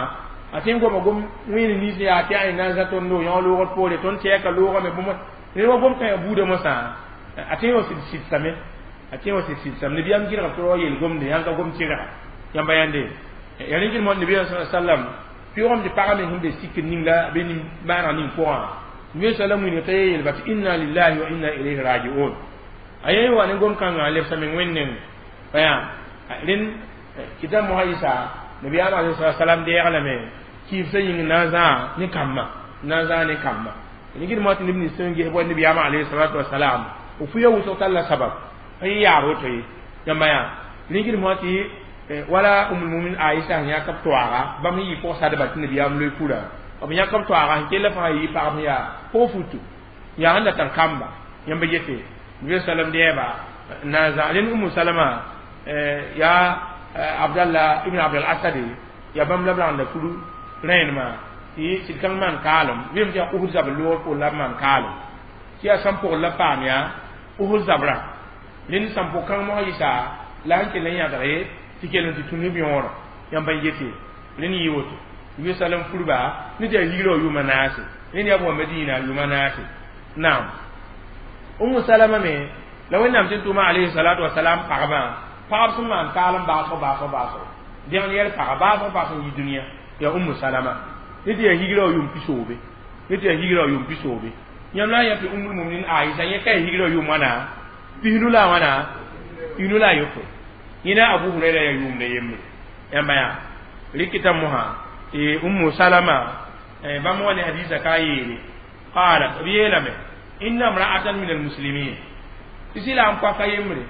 a tõe n goma gom wẽnd nins yaa tɩ a na n zã tõndo yõ loogr poore tõnd tɛɛka loogame bũmb ned wa gom kã buudã mosã a tõe n wa sɩd sɩdsame a tõe n wa sɩd sɩdsame nabiyaam gɩdg tɩ wa yeel gomde yãn ka gom tɩrga yãmba yãnde ya rẽ gɩd mo nabiyaam sallam pʋʋgame tɩ pagã me sẽn be sikr ning la be nin-maaneg ning pʋgã nabi sallam wilga t'a yeelba tɩ inna lillahi wa inna ilayhi rajiun a yẽ wa ne gom kãngã lebsa meng wẽnd neng pa yaa rẽnd kɩta mosã yɩsa nabiyaam alayhi salam deeglame kɩɩbsã yĩng na n zãa ne kambã na n zãa ne kambã nigd mo tɩ neb nins sẽn ges bõe nabiyaamã alayhi salatu wasalam f fuya wʋsg tall la sabab n yaar woto ye yãmba yaa nigd mo tɩ wala Ummul Mumin Aisha sẽn yãk b toaaga bãmb sẽn yɩ pʋg-sadba tɩ nabiyaam loe furã b yãk b toaaga sẽn kell fãa yɩ pagb sẽn yaa pʋg futu yaa sẽn da tar kamba yãmba yete nabi sallam dɛɛba na n zã rẽnd Umu Salama yaa Abdallah ibn Abdul Asad yaa bãmb la b rãnd furu rẽenemã tɩ sɩd kãng maan kaalem vɩɩm tɩ yaa Uhud zabr loogr poor la b maan kaalem tɩ yaa sãn pʋgr la paam yaa Uhud zabrã rẽnd sãn pʋg kãng mosã yɩsa la sẽn kell n yãgre tɩ kell n tɩ tũ ne b yõorã yãmb n yete rẽnd yɩ woto nabi sallam furba ne tɩ yaa yigrã wã yʋʋma naase rẽnd yaa b wa Madina yʋʋma naase naam Ummu Salama me la wẽnnaam tɩ tʋʋmã alayhi salatu wasalam pagba pagb sẽn maan kaalem baasg baasg baasg dẽgn yɛl paga baasg baasg n yi dũniyã Ya Ummu Salama ned yaa higra wã yʋʋm pisoobe, ned yaa higra wã yʋʋm pisoobe. Yãmb la n yã tɩ Ummul Muminin Aisha yẽ ka yaa higra wã yʋʋm wãna pisnu la wãna pisnu la a yopoe. Yẽna Abu Hurayra yaa yʋʋmda yembre. Yãmba yaa rɩkɩta mosã tɩ Ummu Salama bãmb wa ne hadisa ka yeele qalat, b yeelame inna imra'atan min almuslimin, tɩ sɩla n poaka yembre,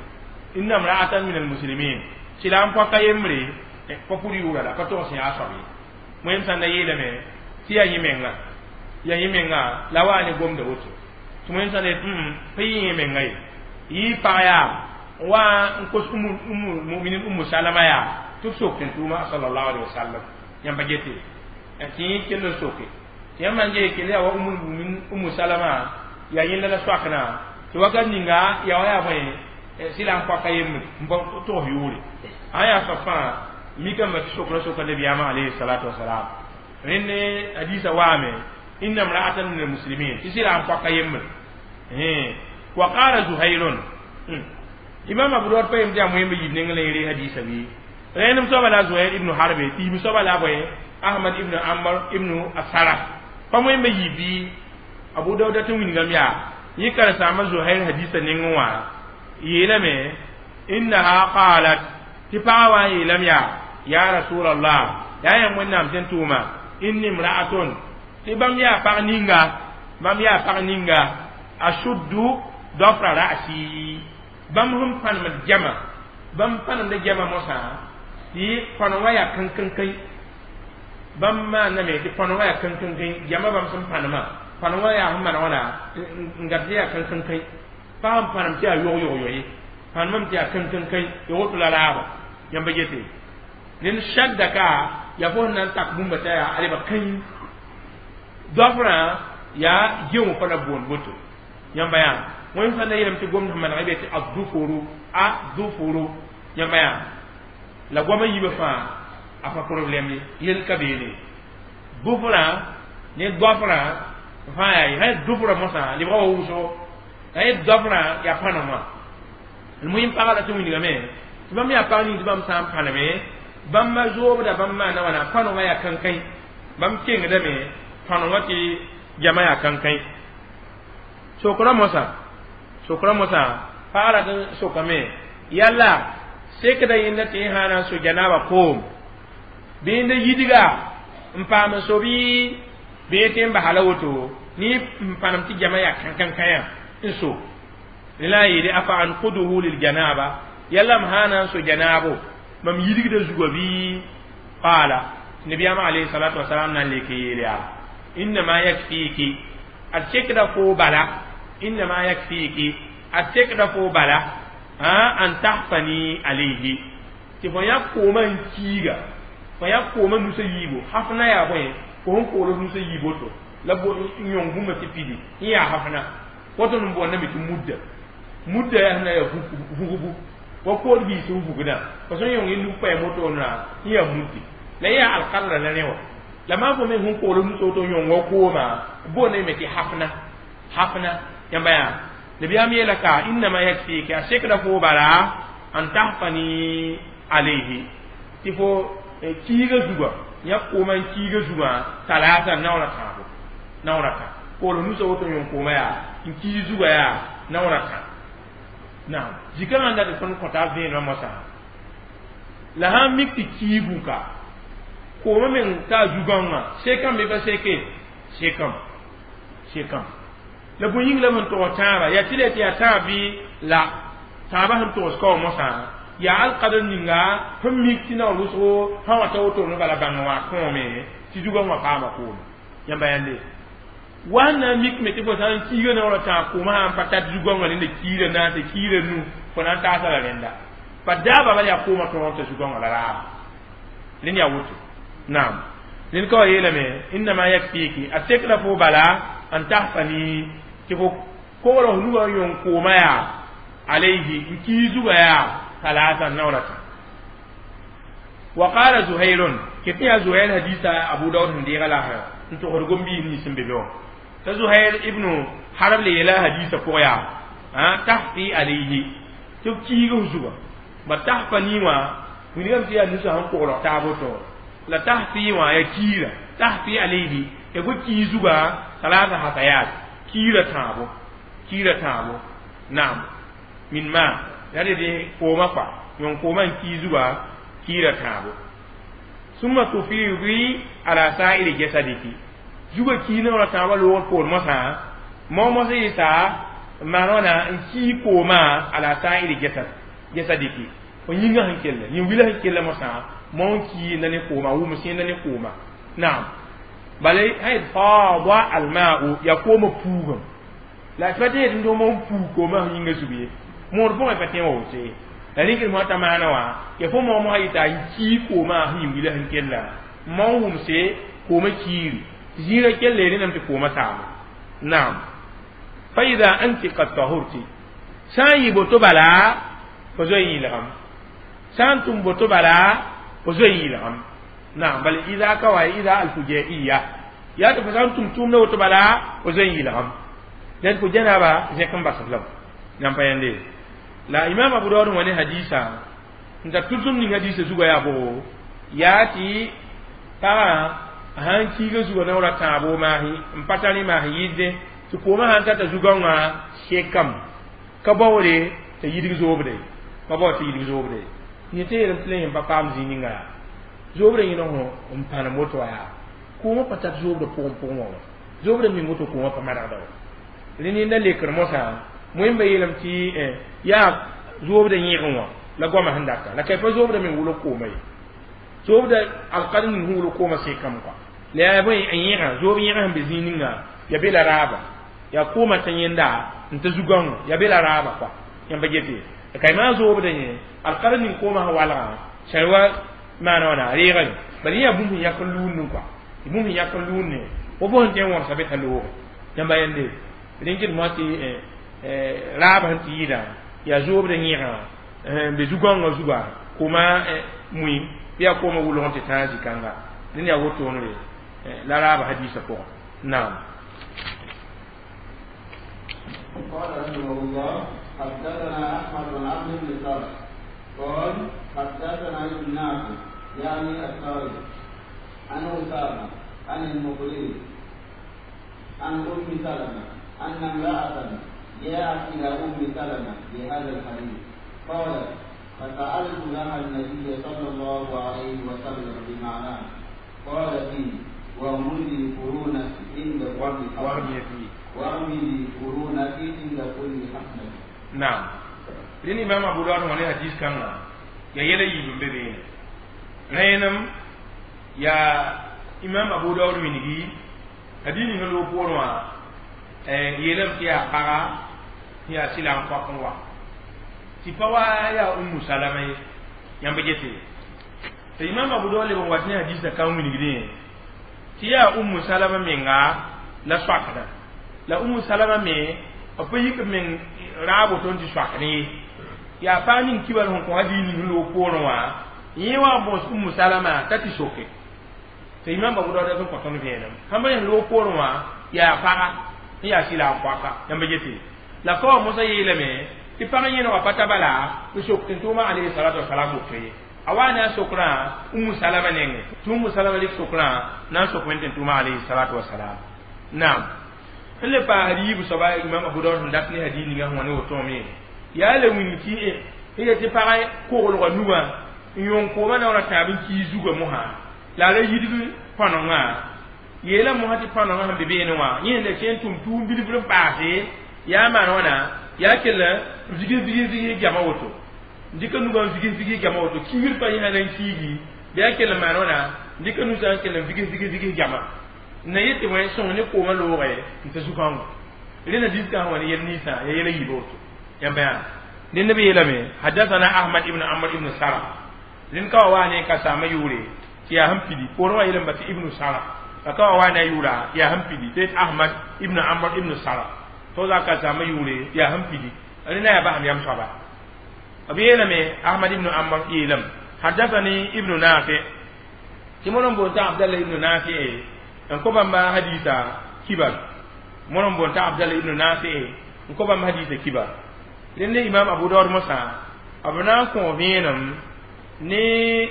inna imra'atan min almuslimin, sɩla n poaka yembre pa pʋd yʋʋra la pa tog sẽn yaa soab ye. Wẽnd sãn da yeelame tɩ yaa yẽ menga, yaa yẽ menga la wa ne gomda woto tɩ wẽnd sãn yet pa yɩ yẽ menga ye, yɩ pag yaa wa n kos Ummul Muminin Ummu Salama yaa tɩ b sok tɩ n tʋʋma sallallahu alaihi wasallam. Yãmba gete tɩ yẽ kell n soke tɩ yãmb man gee kell yaa wa Ummul Muminin Ummu Salama yaa yẽnda la soakna tɩ wakat ninga yaa wa yaa bõe sɩla n poaka yembre n pa togs yʋʋre a yaa soab fãa mikame tɩ sokra soka nabiyaamã alayhi salatu wasalam. Rẽnd hadisa waame inna imra'atan min almuslimin tɩ sɩla n poaka yembre. Wa qala Zuhairun, Imam Abu Dawud pa yem tɩ yaa moẽmbe yib neng la yẽ hadisa bɩ rẽndem soaba la Zuhair ibnu Harbe tɩ yib soaba la bõe Ahmad ibnu Amr ibnu Asara pa moẽmbe yib bɩ Abu Dawud tɩ wingame yaa yẽ karen-saambã Zuhair hadisa nengẽ wã yeelame innaha qalat, tɩ pagã wã n yeelame yaa ya Rasulallah, yaa yãmb Wẽnnaam sẽn tʋʋma, inni imra'atun, tɩ bãmb yaa pag ninga, bãmb yaa pag ninga ashuddu dafra ra'si, bãmb sẽn pãnemd jama, bãmb pãnemda jama mosã tɩ pãnem wã yaa kãn-kãn-kãn, bãmb maaname tɩ pãnem wã yaa kãn-kãn-kãn, jama bãmb sẽn pãnemã pãnem wã yaa sẽn maan wãna n gad tɩ yaa kãn-kãn-kãn, pa sẽn pãnem tɩ yaa yog-yog-yo ye, pãnemame tɩ yaa kãn-kãn-kãn ya woto la raaba. Yãmba gete rẽnd shadda ka yaa fo sẽn na n tak bũmba t'a yaa aleba kãy dɔfrã yaa geo pa na boond woto. Yãmba yaa wẽnd sã n da yeelame tɩ gomd sẽn maneg be tɩ adufuru, adufuru. Yãmba yaa la goamã yiibã fãa a pa problème ye, yel ka beene dufrã ne dɔfrã fãa yaa ye sã yet dufrã mosã lebga wa wʋsgo, sã yet dɔfrã yaa pãnem wã. Muhim pagã la tɩ wilgame tɩ bãmb yaa pag ning tɩ bãmb sã n pãneme bãmba zoobda bãmb maana wãna pãnem wã yaa kãnkãi, bãmb kengdame pãnem wã tɩ jama yaa kãnkãi. Sokra mosã, sokra mosã pagã rat n sokame yalla sekda yẽnda tɩ yẽ sã na n so janaaba koom bɩ yẽnda yidga n paam n so bɩ yẽ tɩ n basa la woto ne n pãnem tɩ jama yaa kãn-kãn-kãyã n so la n yeele afa anquduhu liljanaba, yalla m sã na n so janaabo mam yidgda zugã bɩ qaala nabiyaamã alayhi salatu wasalam na n lek n yeel yaa innama yakfiki, ad sekda fo bala, innama yakfiki, ad sekda fo bala an tahfani alayhi, tɩ fo yã koomã n kiiga, fo yã koomã nusa yiibo hafna yaa bõe fo sẽn koolg nusa yiib woto la n yõng bũmba tɩ pidi n yaa hafna woto n boondame tɩ mudda, mudda yaa sẽn na yaa vugbu wa kood biis sẽn vugdã pa sẽn yõng yẽ nug paɛm wotona n yaa muddi la yaa alkadra la rẽ wã la maan fo me sẽn koolg nusa woto n yõng wa koomã boondame me tɩ hafna, hafna. Yãmba yaa nabiyaam yeela ka innama yakfiki, a sekda fo bala an tahfani alayhi, tɩ fo kiiga zugã yã koomã n kiiga zugã talaata naoora tãabo, naoora tã koolg nusa woto n yõng koomã yaa n kii zugã yaa naoora tã. Naam zikãngã n dat tõnd kõta vẽenemã mosã la sã n mik tɩ kii bũka koomã meng t'a zugãngã sekame bɩ pa seke, sekame, sekame la bõe yĩng la b sẽn togs tãabã yaa tɩ la tɩ yaa tãab bɩ la tãabã sẽn togs ka wã mosã yaa alkadr ninga sẽn mik tɩ naoor wʋsgo sã wã ta wotone bala bãng wã kõome tɩ zugãngã paama koome. Yãmba yãnde wa na n mik me tɩ fo sã n kiiga naoorã tãag koomã sã n pa tat zugãngã rẽnda kiirã naase kiirã nu fo na n taasa la rẽnda pa daaba bala yaa koomã tõog t'a zugãngã la raaba rẽnd yaa woto. Naam rẽnd ka wa yeelame innama yakfiki, a sekda fo bala an tahfani, tɩ fo kogl f nugã n yõng koomã yaa alayhi n kii zugã yaa talaata naoorã tã. Wa qala Zuhairun, ket yaa Zuhair hadisa Abu Daud sẽn deega la n togsd gom-biis nins sẽn be be wã t'a Zuhair ibnu Harb le yeela hadisa pʋg yaa tahfi alayhi, tɩ b kiig f zugã ba tahfani wã wilgame tɩ yaa nusã sẽn koglg taab woto. La tahfi wã ya kiira tahfi alayhi ya fo kii zuga salasa hasayat kiira tãabo kiira tãabo naam min ma ya de kooma kɔa yõn kooma n kii zuga kiira tãabo summa tufidi ala sa'iri jasadiki zuga kii naoora tãabã loogr poor mosã mao mosã yɩsa maan wãna n kii kooma ala sa'iri jasad jasadiki fo yĩngã sẽn kell yĩn-wila sẽn kell mosã mao n kiinda ne kooma wʋms yẽnda ne kooma naam bala sã faada alma'u ya kooma puugame la pa tẽ tɩ mo n puug kooma sẽn yĩngã zug ye moor pʋgẽ pa tẽ wa woto ye la rĩkd mosã t'a maana wã ya fo mao mosã yɩta n kii kooma sẽn yĩn-wila sẽn kella mao n wʋmse kooma kiiri zĩirã kelle rẽndame tɩ kooma saame naam fa ida anti qad tahurti sã n yɩ boto bala fo zoe yĩlgame sã n tʋm boto bala fo zoe yĩlgame naam bala ida ka wa ida alfujaiya yaa tɩ fo sã n tʋm tʋʋmdã woto bala fo zoe yĩlgame dẽd fo janaba zẽk n basd lame nan pa yãnde la imam Abu Dawud wã ne hadisa n tar tʋlsem ning hadisa zuga yaa bogo yaa tɩ pagã sãn kiiga zuga naoora tãabo maasi n pa tar maas n yɩsdẽ tɩ koomã sãn tata zugãngã sekame ka baoore t'a yidg zoobda ye pa bao tɩ yidg zoobda ye yẽ tɩ yeelame tɩ la yẽ pa paam zĩig ninga yaa zoobda yẽna fõ n pãnem woto wa yaa koomã pa tar zoobda pʋgẽ pʋgẽ wã wa zoobda ming woto koomã pa manegda wa rẽ nenda lekr mosã wẽmba yeelame tɩ yaa zoobda yẽgẽ wã la goamã sẽn data la ka pa zoobda meng wʋlg kooma ye zoobda alkad ning sẽn wʋlg koomã sekame kɔa la yaa bõe n yẽgã zoob yẽgã sẽn be zĩig ninga ya be la raaba yaa koomã t'a yẽnda n ta zugãngõ ya be la raaba kɔa yãmb pa gete la ka maa zoobda yẽ alkad ning koomã sẽn walgã sẽn wa maana wãna reegame bala yẽ yaa bũmb sẽn yak n luundẽ kɔa tɩ bũmb sẽn yak n luundẽ fo fo sẽn tõe n wõgsa be t'a looge yãmba yẽnde rẽn moa tɩ raab sẽn tɩ yɩɩda yaa zoobda yẽgã n be zugãngã zuga kooma mui bɩ yaa koomã wʋlg n tɩ tãag zĩ-kãnga dẽnd yaa wotone la raaba hadiisã pʋgẽ naam. قال رحمه الله حدثنا أحمد بن عبد بن سرح قال حدثنا ابن نافع يعني الساري عن أسامة عن المقري عن أم سلمة أن امرأة جاءت إلى أم سلمة بهذا الحديث قالت فسألت لها النبي صلى الله عليه وسلم بمعناه قال فيه واغمزي قرونك عند كل حسنة واغمزي قرونك عند كل حسنة. نعم لأن إمام أبو داود wã ne hadis kãngã ya yɛla yiib n be beene rẽenem yaa imam Abu Dawud wingi hadis ning loog poorẽ wã yeelame tɩ yaa paga tɩ yaa sɩla n koak n wa tɩ pa wa yaa Ummu Salama ye yãmb gete tɩ imam Abu Dawud leb n wat ne hadisã kãng wingdẽ tɩ yaa Ummu Salama menga la soakdã la Ummu Salama me b pa yik meng raab woto n tɩ soakdẽ ye yaa pag ning kibar sẽn kõ hadis ning loog poorẽ wã yẽ wa n bõos Ummu Salama t'a tɩ soke tɩ imam Abu Dawud sẽn kõ tõnd vẽenem sãn pa yẽs loog poorẽ wã yaa paga n yaa sɩla n koaka yãmb gete la ka wa mosã yeelame tɩ pag yẽnega pa ta bala n sok tɩ tʋʋma alayhi salatu wasalam woto ye a wa ne a sokraã Ummu Salama nengẽ tɩ Ummu Salama rɩk sokraã na n sok wẽnd tɩ tʋʋma alayhi salatu wasalam naam n le paasd yiib soaba imam Abu Dawud sẽn dat ne hadis ninga sẽn wa ne wotome yaa le wing tɩ ya tɩ pag koglgã nugã n yõng koomã naoora tãab n kii zugã mosã la a ra yidg pãnengã yeela mosã tɩ pãnengã sẽn be beene wã yẽ sẽn la sẽn tʋm tʋʋm bilf n paase yaa maan wãna yaa kell n vigs vigs vigs gama woto n dɩka nugã n vigs vigs gama woto kiigr pa yẽ sã na n kiigi bɩ yaa kell n maan wãna n dɩka nusã n kell n vigs vigs vigs gama n na yet tɩ wẽ sõng ne koomã looge n ta zugãngo rẽnda diskã sẽn wa ne yɛl ninsã yaa yɛla yiib woto yãmba yaa dẽnd b yeelame hadathana Ahmad ibn Amr ibn Sara rẽnd ka wa waa ne ka saama yʋʋre tɩ yaa sẽn pidi poorẽ wã yeelame tɩ ibnu Sara la ka wa waa ne a yʋʋra yaa sẽn pidi tɩ Ahmad ibn Amr ibn Sara to za ka saama yʋʋre yaa sẽn pidi rẽnda yaa basem yam soaba b yeelame Ahmad ibn Amr yeelame hadathani ibnu Nafi tɩ mono n boon t'a Abdallah ibnu Nafi n kõ bãmba hadisa kibar mono n boon t'a Abdallah ibnu Nafi n kõ bãmb hadisa kibar rẽnd imam Abu Dawud mosã b na n kõ vẽenem ne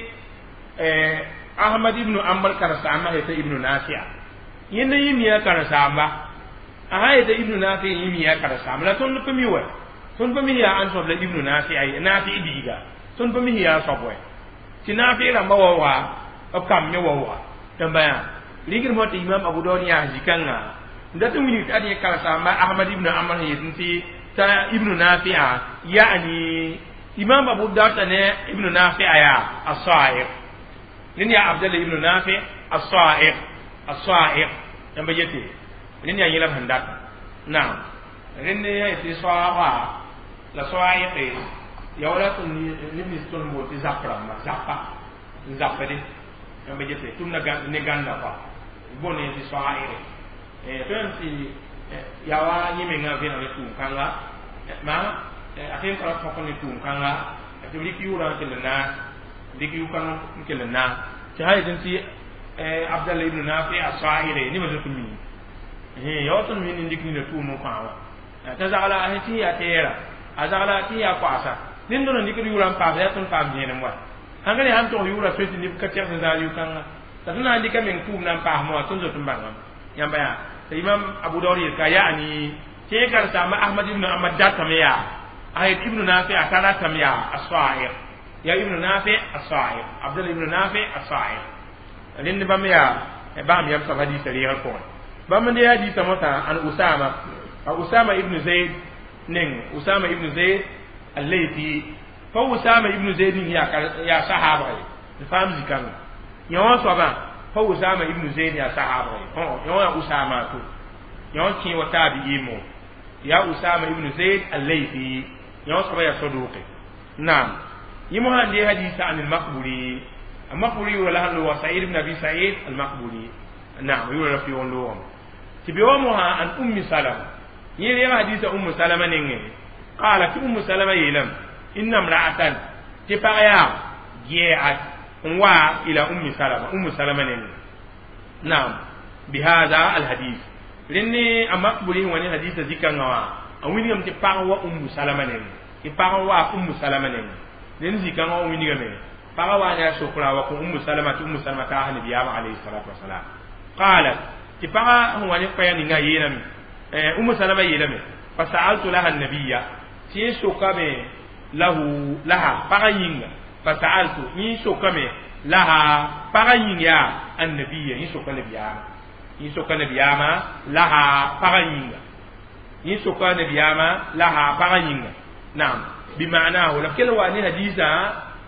Ahmad ibn Hanbal karen-saambã yeta Ibn Nafi'a yẽnd n yɩ miã karen-saamba a sã yeta Ibn Nafi yẽ miã karen-saamba la tõnd pa mi wɛ tõnd pa mi yaa ãn soab la Ibn Nafi'a ye Nafi biiga tõnd pa mi yaa soab wɛ tɩ Nafi rãmba waooga b kamb me waooga tɩ yaa rɩgr mõ tɩ Imam Abu Daud yãas zĩ-kãngã n dat n wilg tɩ ad yẽ karen-saamba Ahmad ibn Hanbal sẽn yetẽ tɩ t'a Ibn Nafi'a yaani Imam Abu Daud ne Ibn Nafi'a yaa as-Sa'iq rẽnd yaa Abdallah ibn Nafi as-Sa'iq as-Sa'iq yãmba yete rẽnd yaa yẽla b sẽn data naam rẽnd yaa tɩ soaaba la soaɩqe ya wala tõnd neb nins tõnd bool tɩ zap rãmba zapa n zapde yãmba yete tʋmda ne gãnda kɔa boond tɩ soaɩqe tõe tɩ yaa wa yẽ mengã vẽneg ne tʋʋm-kãnga maa a tõe n tara tõk ne tʋʋm-kãnga tɩ b rɩk yʋʋrã n kell n naas dɩk yʋ-kãng n kell n naas tɩ sã yetẽ tɩ Abdallah ibn Nafi as-Sa'ire ni ma zoto mi ya wa tõnd mi nin dɩk nina tʋʋm n kõ wã t'a zagla a sẽn tɩ yaa tɛɛra a zagla tɩ yaa koasa ned tõnd n dɩkd yʋʋrã n paasa yaa tõnd paam zẽenem wa sãn ka ne sãn tog yʋʋrã tõe tɩ neb ka tɛgs n zaal yʋ-kãnga la tõnd na n dɩka meng tʋʋm na n paasmã wã tõnd zot n bãngame yãmba yaa t'a Imam Abu Daud yel ka yaani tɩ yẽ karen-saamba Ahmad ibn Hanbal datame yaa a yet Ibn Nafi a ka ratame yaa as-Sa'iq ya Ibn Nafi as-Sa'iq Abdullah ibn Nafi as-Sa'iq rẽnd bãmb yaa bãmb yam soab hadiisã reegr pʋgẽ bãmb n dee hadiisã mosã an Usama a Usama ibn Zaid neng Usama ibn Zaid al-Laythi pa Usama ibn Zaid ning yaa sahaabga ye n faam zĩ-kãngã yã wã soabã pa Usama ibn Zaid yaa sahaabga ye yã wã yaa Usama to yã wã kẽ wa taabi'iimo yaa Usama ibn Zaid al-Laythi yã wã soabã yaa saduqe naam yẽ mosã n dee hadiisã an al-Maqburi المقبري ولا هو سعيد بن ابي سعيد المقبري نعم يقول في لوم تبيومها عن ام سلمة يلي حديث ام سلمة نينغ قالت ام سلمة يلم ان امرأة تبايا جاءت وا الى ام سلمة ام سلمة نينغ نعم بهذا الحديث لاني المقبري هو حديث ذكر نوا وين تبايا ام سلمة نينغ تبايا ام سلمة نينغ لان ذكر نوا وين paga wa ne sokra wa ko Ummu Salama tɩ Ummu Salama taas nabiyaamã alayhi salatu wasalam qalat tɩ pagã sẽn wa ne koɛɛg ninga yeelame Ummu Salama yeelame fa sa'altu laha nabiya tɩ yẽ sokame lahu laha pagã yĩnga fa sa'altu yẽ sokame laha pagã yĩng yaa annabiya yẽ soka nabiyaamã yẽ soka nabiyaamã laha pagã yĩnga yẽ soka nabiyaamã laha pagã yĩnga naam bimaanahu la kell wa ne hadiisã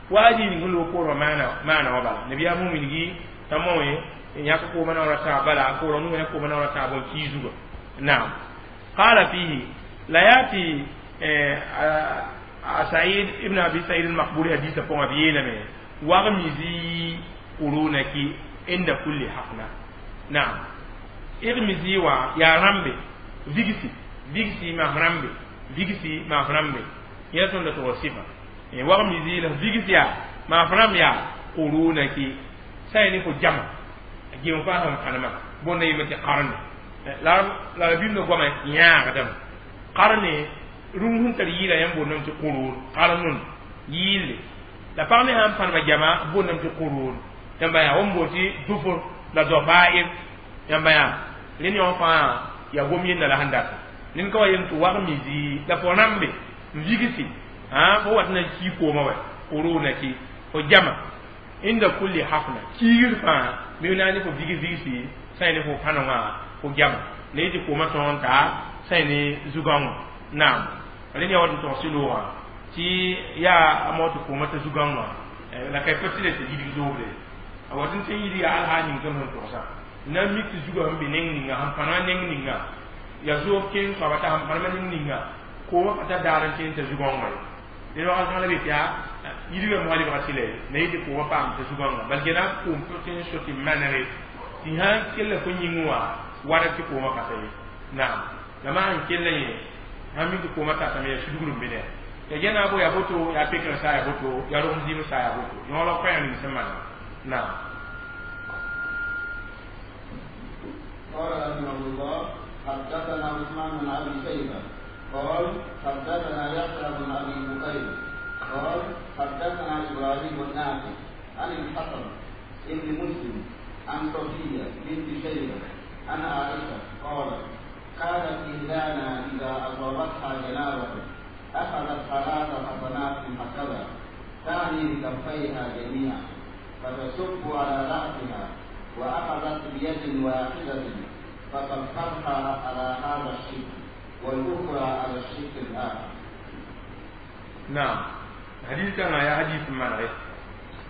waadi ning lo ko mana mana wa bala nabiya mu mingi tamowe yaka ko mana wala ta bala ko ronu ne ko mana wala ta bon kizugo na'am qala fihi la yati Sa'id ibn Abi Sa'id al-Maqburi hadith ko abiyena me waghmizi qurunaki inda kulli haqna na'am irmizi wa ya rambe vigisi vigisi ma rambe vigisi ma rambe ya ton da to sifa waghmizi la vigisi ya ma ram ya qurunaki sai ni ko jama gem fa ham kanama bonna yimati qarne la la bimno goma nyaa dam qarne rũm sẽn tar yɩɩla yãmb boondame tɩ qurun qarnun yɩɩlle la pag me sãn pãnema jama boondame tɩ qurun yãmba yaa wẽn boond tɩ dufr la dofair yãmba yaa rẽnd yõ fãa yaa gom yenda la sẽn data ned ka wa yem tɩ wag misi la fo rãmbe n vigsi fo wat na kii kooma wɛ quruna ki fo jama inda kulli hafna kiigr fãa me na ne fo vigs vigsi sã ne fo pãnengã fo jama la yetɩ kooma tõog n ta sã ne zugãngõ naam rẽnd yaa wat n tog sɩloogã tɩ yaa a mao tɩ kooma t'a zugãngã la ka pa tɩ tɩ yidg zoobre a wat n tõe n yidg yaa alhaa ning tõnd sẽn togsã na n mik tɩ zugã sẽn be neng ninga sẽn pãnegã neng ninga yaa zoog kẽng soaba t'a sẽn pãnemã neng ninga kooma pa tar daar n kẽng t'a zugãngã ye ned wakat kãng la be tɩ yaa yidgã moa lebga tɩ la ye la yetɩ kooma paam t'a zugãngã bal gena koom tɩ n so tɩ manege tɩ sã kella fo yĩng wã wara tɩ kooma ka ta ye naam la maa n kella yẽ sãn mik tɩ kooma tatame yaa sudgr n be ne ya gena bo ya boto ya pekr sa ya boto ya rom zim sa ya boto yõ la koɛɛg ning sẽn maana naam قال رحمه الله حدثنا عثمان بن ابي شيبه قال حدثنا يحيى بن ابي بكير قال حدثنا ابراهيم النافع عن الحسن ابن مسلم عن صفية بنت شيبة عن عائشة قالت: كانت إحدانا إذا أصابتها جنابة أخذت ثلاث حسنات هكذا تعني بكفيها جميعا فتصب على رأسها، وأخذت بيد واحدة فصبتها على هذا الشق والأخرى على الشق الآخر. نعم، حديث كان يا حديث مرة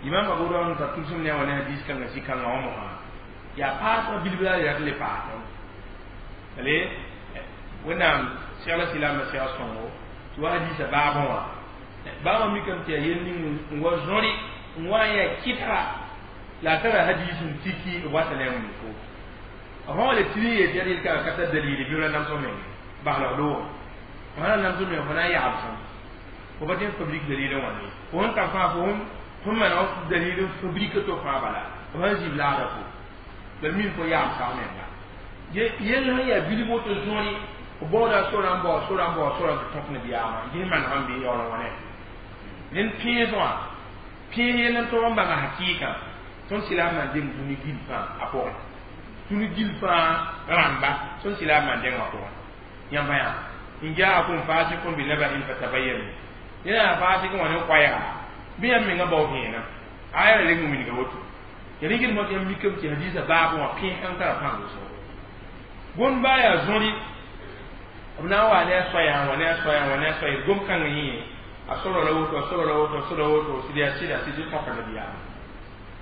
إمام أبو داود تتوسم ne wani hadis kan si kan ngawo ha ya paas bilbila ya le paas ale wẽnnaam segla silaamã seg sõngo tɩ wa hadiisã baabẽ wã baabã mikame tɩ yaa yel ning n wa zõre n wa n yaa kɩtga la a tara hadiis n tiki b wata ne a wilg fo a fãa wa le tɩ yeel tɩ yaa yel kãngã ka tar dalili bɩ ra namsg menge baslg loogẽ fo sã na namsg meng fo na n yagb sẽm fo pa tẽ fabrique dalil n wãne fo sẽn tar fãa fo fo maneg dalil n fabrique to fãa bala fo sãn zib laada fo bal min fo yaam sag menga yell sẽn yaa bilf woto zõre f baooda sora n bao sora n bao sora tɩ tõk nabiyaamã ges maneg n be yaool n wãne rẽnd pẽes wã pẽes yell n tog n bãnga hakɩɩkã tõnd silaamã n deng dũni gil fãa a pʋgẽ dũni gil fãa rãmba tõnd silaamã n deng a pʋgẽ yãmba yaa n jaakum fasikun binaba'in fatabayyanu yẽna yaa fasik wã ne koɛɛga bɩ yãmb menga bao vẽenam aya la reng wilga woto ya rɩgd mot yãmb mikame tɩ hadiisã baab wã pẽes kãng tara pãng wʋsgo gom baa yaa zõri b na n waa ne a soayã wa ne a soayã wa ne a soaya gom kãng yẽ a sora la woto a sora la woto a sora woto sɩd yaa sɩda sɩd tõka nabiyaamã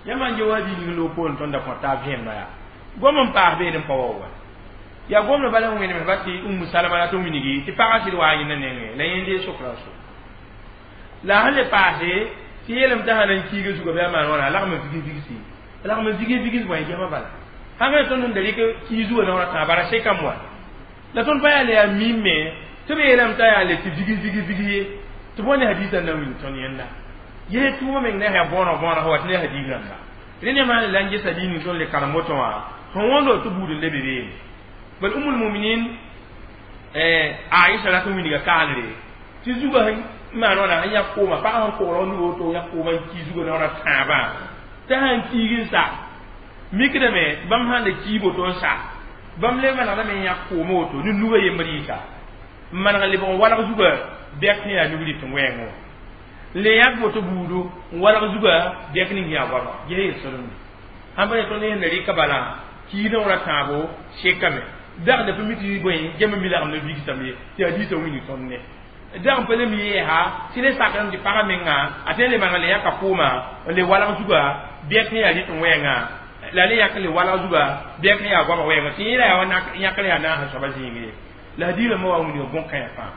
yãmb n ge wa hadiis ning loog poorẽ tõnd da kõ taab vẽemda yaa gom n paas beene n pa wa wa yaa gomdã bala n wẽnem ba tɩ Umu Salama la tɩ wilgi tɩ pagã sɩd waa yẽnda nengẽ la yẽ dee sokra so la sẽn le paase tɩ yeelame t'a sã na n kiiga zugã bɩ a maan wãna a lagm n vig vigsi a lagm n vig vigs bõe gema bala sãn ka tõnd sẽn da rɩk kii zugã naoorã tãa bara sekame wa la tõnd pa yaa le yaa mim me tɩ b yeelame t'a yaa le tɩ vig vig vig ye tɩ bõe ne hadiisã na n wilg tõnd yẽnda yee tʋʋmã meng ne yaa bõoneg bõoneg sã wa tɩ ne hadiis rãmba rẽ ne maan la n gesa ning tõnd le karem woto wã sẽn wõndo tɩ buud n le be beene bal Umul Muminin Aisha la tɩ wilga kaanre tɩ zugã sẽn maan wãna sẽn yãk kooma pagã sẽn kogl nu woto yãk kooma n kii zugã naoorã tãabã t'a sãn kiig n sa mikdame bãmb sãn le kii woto n sa bãmb le manegdame n yãk kooma woto ne nugã yembr yɩsa n maneg n lebg n walg zugã bɛk sẽn yaa nug rɩt n wɛɛngẽ wã n le yãk woto buudo n walg zugã bɛk ning yaa goama ges yel-sõlemde sãn pa ne tõnd sẽn la rɩka bala kiidã wã tãabo sekame dag da pa mi tɩ bõe gem mi lagem ne vigsame ye tɩ hadiisã wilg tõnd ne dag n pa le mi yɛɛsa tɩ le sakrem tɩ pagã menga a tõe n le maneg le yãka kooma n le walg zugã bɛk sẽn yaa rɩt n wɛɛngã la le yãk le walg zugã bɛk sẽn yaa goamã wɛɛngã tɩ yẽ la yaa wa yãkr yaa naasã soaba zĩig ye la hadiisã ma wa wilga bõn-kãyã fãa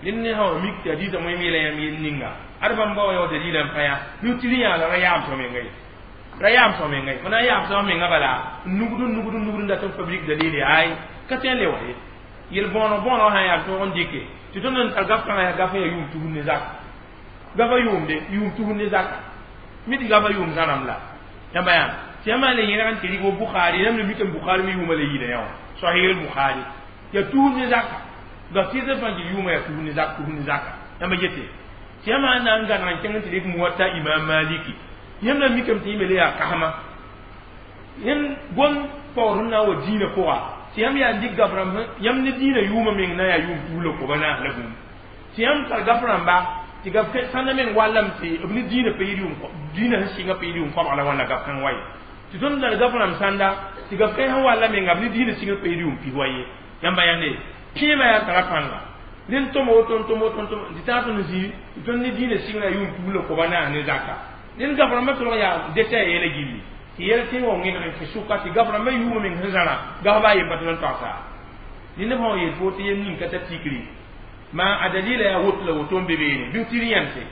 rẽnd ne sã wa mik tɩ hadiisã wẽm yeela yãmb yel ninga ad bãmb ba wa yao dalila n pa yaa nu tɩ rẽ yaa la ra yaam sõ menga ye ra yaam sõ menga ye fo na n yaam sõ menga bala nugd nugd nugd n dat n fabrique dalile ay ka tõe n le wa ye yel bõoneg bõoneg sã n yaa tõog n dɩke tɩ tõnd n tar gaf kãngã yaa gaf n yaa yʋʋm tusr ne zaka gafa yʋʋmde yʋʋm tusr ne zaka mi tɩ gafa yʋʋm zãrãmb la yãmba yaa tɩ yãmb le yẽrg n tɩ rɩk wa Bukhari yãmb le mikame Bukhari me yʋʋmã le yɩɩda yã wã Sahih Bukhari yaa tusr ne zaka gaf tɩɩsã fãa tɩ yʋʋmã yaa tusr ne zaka tusr ne zaka yãmba yete tɩ yãmb sã na n gãneg n kẽng n tɩ rɩk Muwatta Imam Maliki yãmb na mikame tɩ yẽ me le yaa kasma yẽnd gom paoor sẽn na n wa dĩinã pʋga tɩ yãmb yaa dɩk gaf rãmb yãmb ne dĩinã yʋʋmã meng na yaa yʋʋm tus la koba naas la bũmb tɩ yãmb tar gaf rãmba tɩ gaf sãnda meng wallame tɩ b ne dĩinã pa yɩl yʋʋm dĩinã sẽn sɩngã pa yɩl yʋʋm koabg la wãnna gaf kãng wa ye tɩ tõnd tar gaf rãmb sãnda tɩ gaf kãng sẽn walla menga b ne dĩinã sɩngã pa yɩl yʋʋm pis wa ye yãmba yãnde pẽemã yaa tara pãnga rẽnd tõm woto n tõm woto n tõm tɩ tãag tõnd zĩ tɩ tõnd ne dĩinã sɩngã yaa yʋʋm tus la koba naas ne zaka rẽnd gaf rãmbã tʋlg yaa deta yeela gilli tɩ yɛl tɩ wa wẽneg n kẽ sʋka tɩ gaf rãmbã yʋʋmã meng sẽn zãra gaf baa yemba tɩ n togsa rẽnd fãa wa yeel fo tɩ yel ning ka ta tikri ma a dalila yaa woto la woto n be beene bɩ tɩ rẽ yãmse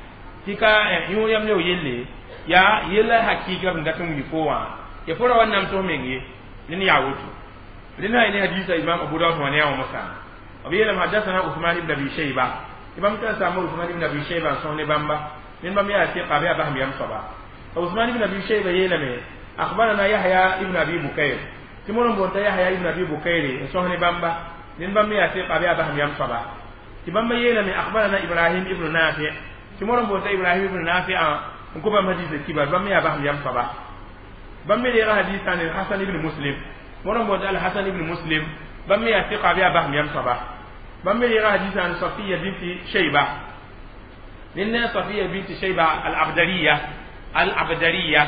tɩ ka yõ yãmb ne w yelle yaa yella hakɩɩka b n dat n wilg fo wã ya fo ra wa namsg meng ye rẽnd yaa woto rẽnd sã ne hadiisa Imam Abu Dawud wã ne yaa wã mosã b yeelame hadasana Usman ibn Abi Shayba tɩ bãmb tɩ saama Usman ibn Abi Shayba n sõs ne bãmba rẽnd bãmb yaa tɩqa bɩ yaa basem yam soaba Usman ibn Abi Shayba yeelame akhbarana Yahya ibn Abi Bukayr tɩ mo n boonta Yahya ibn Abi Bukayr n sõs ne bãmba rẽnd bãmb yaa tɩqa bɩ yaa basem yam soaba tɩ bãmba yeelame akhbarana Ibrahim ibn Nafi tɩ mo n boonta Ibrahim ibn Nafi n kõ bãmb hadiisã kibar bãmb yaa basem yam soaba Bãmb me reega hadisa ne Hasan ibn Muslim. Wãna n boond Al Hasan ibn Muslim, bãmb me yaa tɩka bɩ yaa basem yam soaba. Bãmb me reega hadisa ne Safiya binti Shayba. Rẽnd ne Safiya binti Shayba al Abdariya, al Abdariya,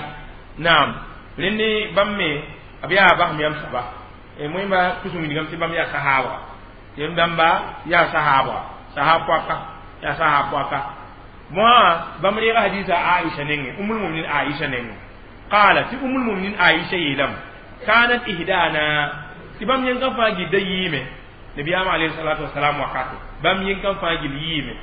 naam. Rẽnd ne bãmb me b yaa basem yam soaba. Moẽmba tus n wilgame tɩ bãmb yaa sahaaba, tɩ bãmba yaa sahaaba, sahab poaka, yaa sahab poaka. Moã bãmb reega hadisa Aisha nengẽ, Ummul Muminin Aisha nengẽ. Qala, tɩ Ummul Muminin Aisha yeelame, kanat ihdana, tɩ bãmb yẽnkã fãa gilda yiime nabiyaamã alayhi salatu wasalam wakate. Bãmb yẽnkã fãa gil yiime,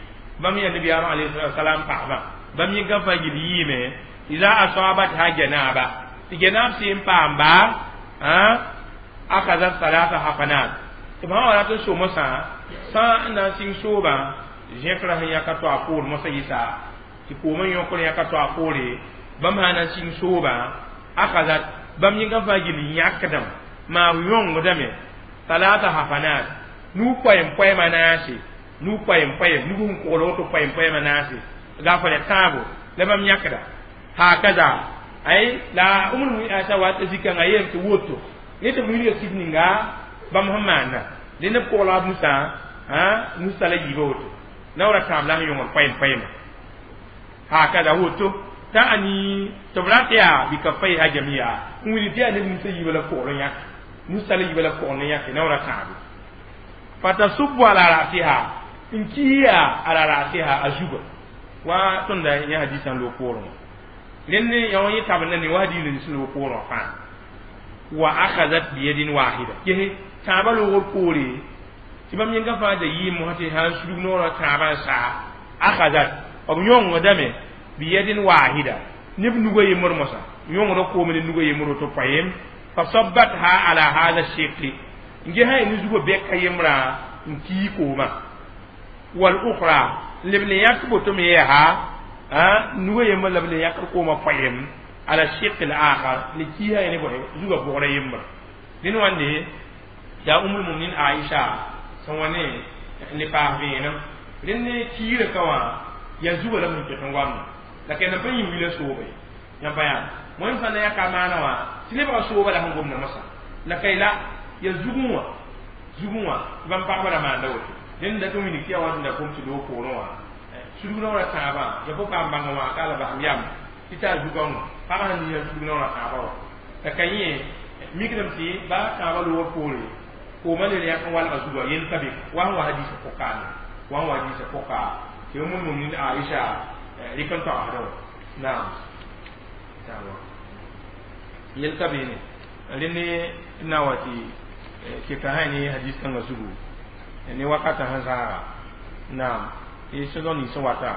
bãmb yaa nabiyaamã alayhi salatu wasalam pagsbã, bãmb yẽnkã fãa gil yiime. Ida asabatha janaba, tɩ janaab sẽn paam ba, akaza salata hafanat, tɩ bãmb wa rat n so mosã sã n na n sɩng soobã zẽkra sẽn yãka to a poor mosã yɩsa tɩ koomã yõkr yãka to a poore. Bãmb sã na n sɩng soobã, akazat, bãmb yẽnkã fãa gil yãkdame, maa yõngdame talata hafanat, nug poɛm poɛɛmã naase, nug poɛm poɛɛm, nug sẽn kogl woto poɛm poɛɛmã naase gafrɛ tãabo la bãmb yãkda hakaza. Ay la Umul Mumin Aisha wa tɩ zikãngã yeem tɩ woto ne tɩ b wilga sib ninga bãmb sẽn maanda dẽ neb kogla b nusã, nusa la yiibã woto naoora tãab la sẽn yõngd poɛm poɛɛmã hakaza woto ta'ani tɩ b rat yaa bikafaiha jamia n wilg tɩ yaa neb nusa yiibã la kogl n yãk, nusa la yiibã la kogl n yãke naoora tãabe. Fatasubbu ala rasiha, n kiya ala rasiha a zuga wa tõnda yã hadisã loog poorẽ wã. Rẽnd yã wã yẽ tabenda ne wa hadiis nins loog poorẽ wã fãa. Wa akhazat biyadin wahida, kese tãabã loogr poore tɩ bãmb yẽngã fãa da yɩɩm mosã tɩ sã n sudg noorã tãabã n saa. Akhazat, b yõngdame biyadin wahida, neb nugã yembr mosã yõngda koome ne nugã yembr woto poeem. Fasabbatha ala hada shiqi, n ges sã ne zugã bɛka yembrã n kii koomã. Wal ukhra, leb le yãk boto me yaa nugã yembr la b le yãkd koomã poeem ala shiq al akhar, le kiisa ne bõe zugã bʋgrã yembra. Dẽn wãnde yaa Ummul Muminin Aisha sẽn wa ne n le paas vẽenem. Rẽnd ne kiirã ka wã yaa zugã la b sẽn ket n goamda la kẽnd n pa yĩ wila soobe yãmba yaa wẽnd sã na yãka maana wã tɩ lebga sooba la sẽn gomda mosã la ka la ya zugẽ wã, zugẽ wã tɩ bãmb pagba ra maanda woto. Dẽnd dat n wilg tɩ yaa wa tɩ da kom tɩ loog poorẽ wã sudg naoorã tãabã ya fo paam bãngã wã ka la basem yam tɩ taa zugãngã pag sẽn ning sudg naoorã tãabã wã la ka yẽ mikdame tɩ baa tãabã loogr poore koomã le yãk n walga zugã yell ka be wa sẽn wa hadisã pʋka ne wa sẽn wa hadisã pʋka tɩ Ummul Muminin Aisha rɩk n toagsdã wã. Naam, yell ka beene. Rẽnd n na wa tɩ keta sã ne hadis kãngã zugu ne wakatã sẽn zaaga. Naam, tɩ sẽn nins sẽn wata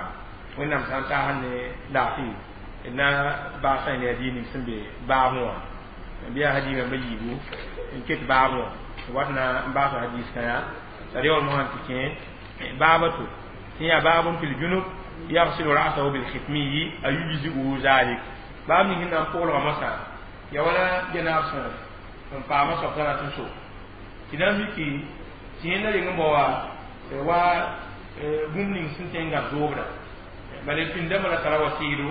Wẽnnaam sã n taasd ne laafɩ d na baasã ne hadis ning sẽn be baabẽ wã bɩ yaa hadis rãmbã yiibu n ket baabẽ wã wat na n baasa hadis kãya t'a reool mosã tɩ kẽ baaba to tɩ yaa baabun fil junub yaghsilu ra'sahu bil khitmiyi ayujzi'uhu zalik. Baab ning sẽn na n pʋglga mosã ya wala janaab sẽn n paama soab t'a rat n so tɩ na n miki tɩ yẽnda reng n bao wa bũmb ning sẽn tõe n gãb zoobda bala pĩndame ra tara wa sɩɩdo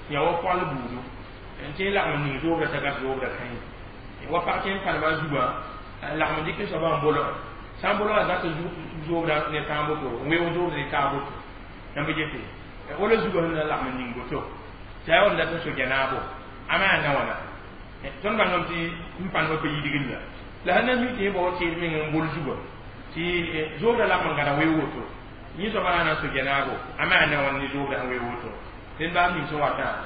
yã wa pɔgl buudu n tɩ lagm n ning zoobda t'a gãb zoobda kãe wa pag tɩ n pãnema a zugã lagm n dɩk soabã n bolg sã n bolga zat zoobda ne tãag boto n weoog zoobda ne taag boto yãmb gete wala zugã sẽn na lagm n ning boto tɩ a yaa dat n so janaabo a maa na wãna. Tõnd bãngame tɩ n pãnema pa yidgr la la sẽn na mi tɩ yẽ bao tɩɩd meng n bol zugã tɩ zoobda lagm n gãda weoog woto yẽ soaba na n so janaabo a maa na wãn ne zoobda sẽn weoog woto. Rẽnd baab ning sẽn watã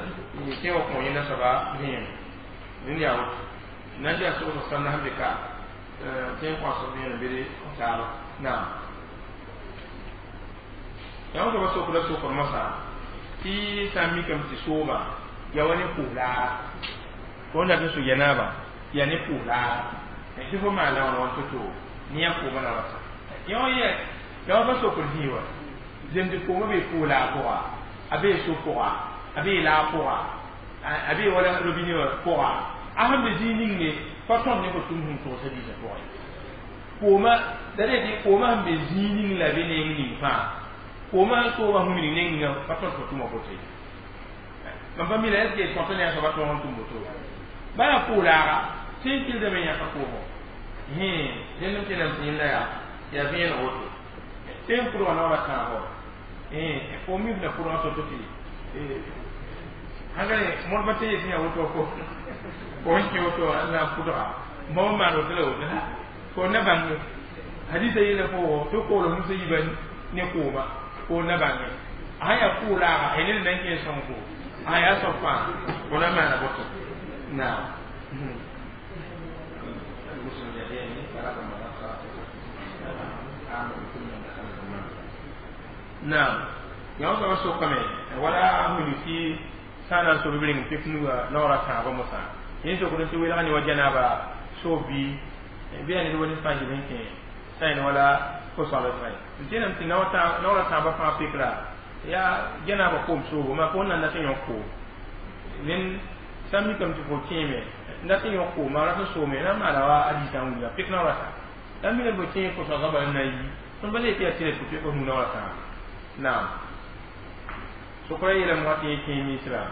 tẽ wa kõ yẽnda soaba vẽene rẽnd yaa woto nan yaa sogsg sãmda sẽn be ka tẽ n kõs vẽenem bɩ taaba. Naam, yã soaba sokda sokr mosã tɩ sã n mikame tɩ soobã yaa wa ne pʋʋs-laara fo n dat n so janaaba yaa ne pʋʋs-laara tɩ fo maan la wãna wãn to-to ne yã koomã na wata yã wã yɛ ya wa pa sokr zĩig wã zemd koomã bee pʋʋs-laag pʋga, a bee so pʋga, a bee laag pʋga, a bee wala robine wã pʋga, a sẽn be zĩig ning ne pa tõnd ne fo tʋm sẽn togsã diisã pʋgẽ koomã la re tɩ koomã sẽn be zĩig ning la be neng ning fãa koomã soobã sẽn wilg neng ninga pa tõnd fo tʋma boto ye. Mam pa mi la est ce que tõt ne a soaba tõog n tʋm boto Baya kulaga tin kilda men ya ka ko he den tin tin la ya ya bien woto tin puro na wala kan ho eh fo mi na puro to to ti eh hangale mo ba te ya woto ko ko ki woto na puro mo ma ro tele woto ko na bang hadisa yele ko to ko lo musa yiban ne ko ma ko na bang aya kulaga enen nan ke son ko aya so fa ko na ma na boto na naam yãw soaba sokame wala wilg tɩ sã n na n sob reng pek nuga naoora tãabã mosã yẽ sokd tɩ welg ne wa janaaba soob bɩ yaa ned wa ned fãa gil n kẽ sã yẽn wala ko-soabd fãa ye n tẽename tɩ naoora tãabã fãa pekra yaa janaaba koom soobo maa fo na n dat n yõk koom nen sã n mikame tɩ fo kẽeme n dat n yõk koom maa rat n soome na n maana wa a diisã n wilga pek naoora tã la n mikame fo kẽe ko-soabã bala n na n yi tõnd pa le tɩ yaa tɩ tɩ pek f nu naoora tãaba naam sokra yeelame wa tɩ yẽ kẽe misra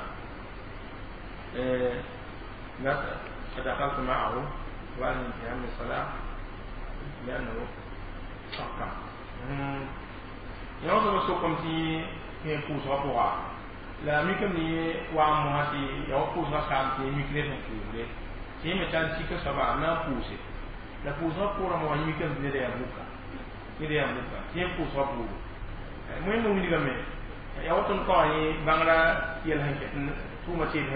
فدخلت معه وأنا انتهى من الصلاة لأنه شق yã wã sokame tɩ kẽ pʋʋsgã pʋga la mikame ne wa n mosã tɩ ya wa pʋʋsgã saam tɩ mik ne sẽn pʋʋsde tɩ yẽ me tar sika soaba n na n pʋʋse la pʋʋsgã pʋʋrã wã mikame tɩ neda yaa buka neda yaa buka tɩ yẽ pʋʋsgã pʋʋgo wẽnd wilgame ya woto n kao yẽ bãngrã yɛl sẽn ket tʋʋma teed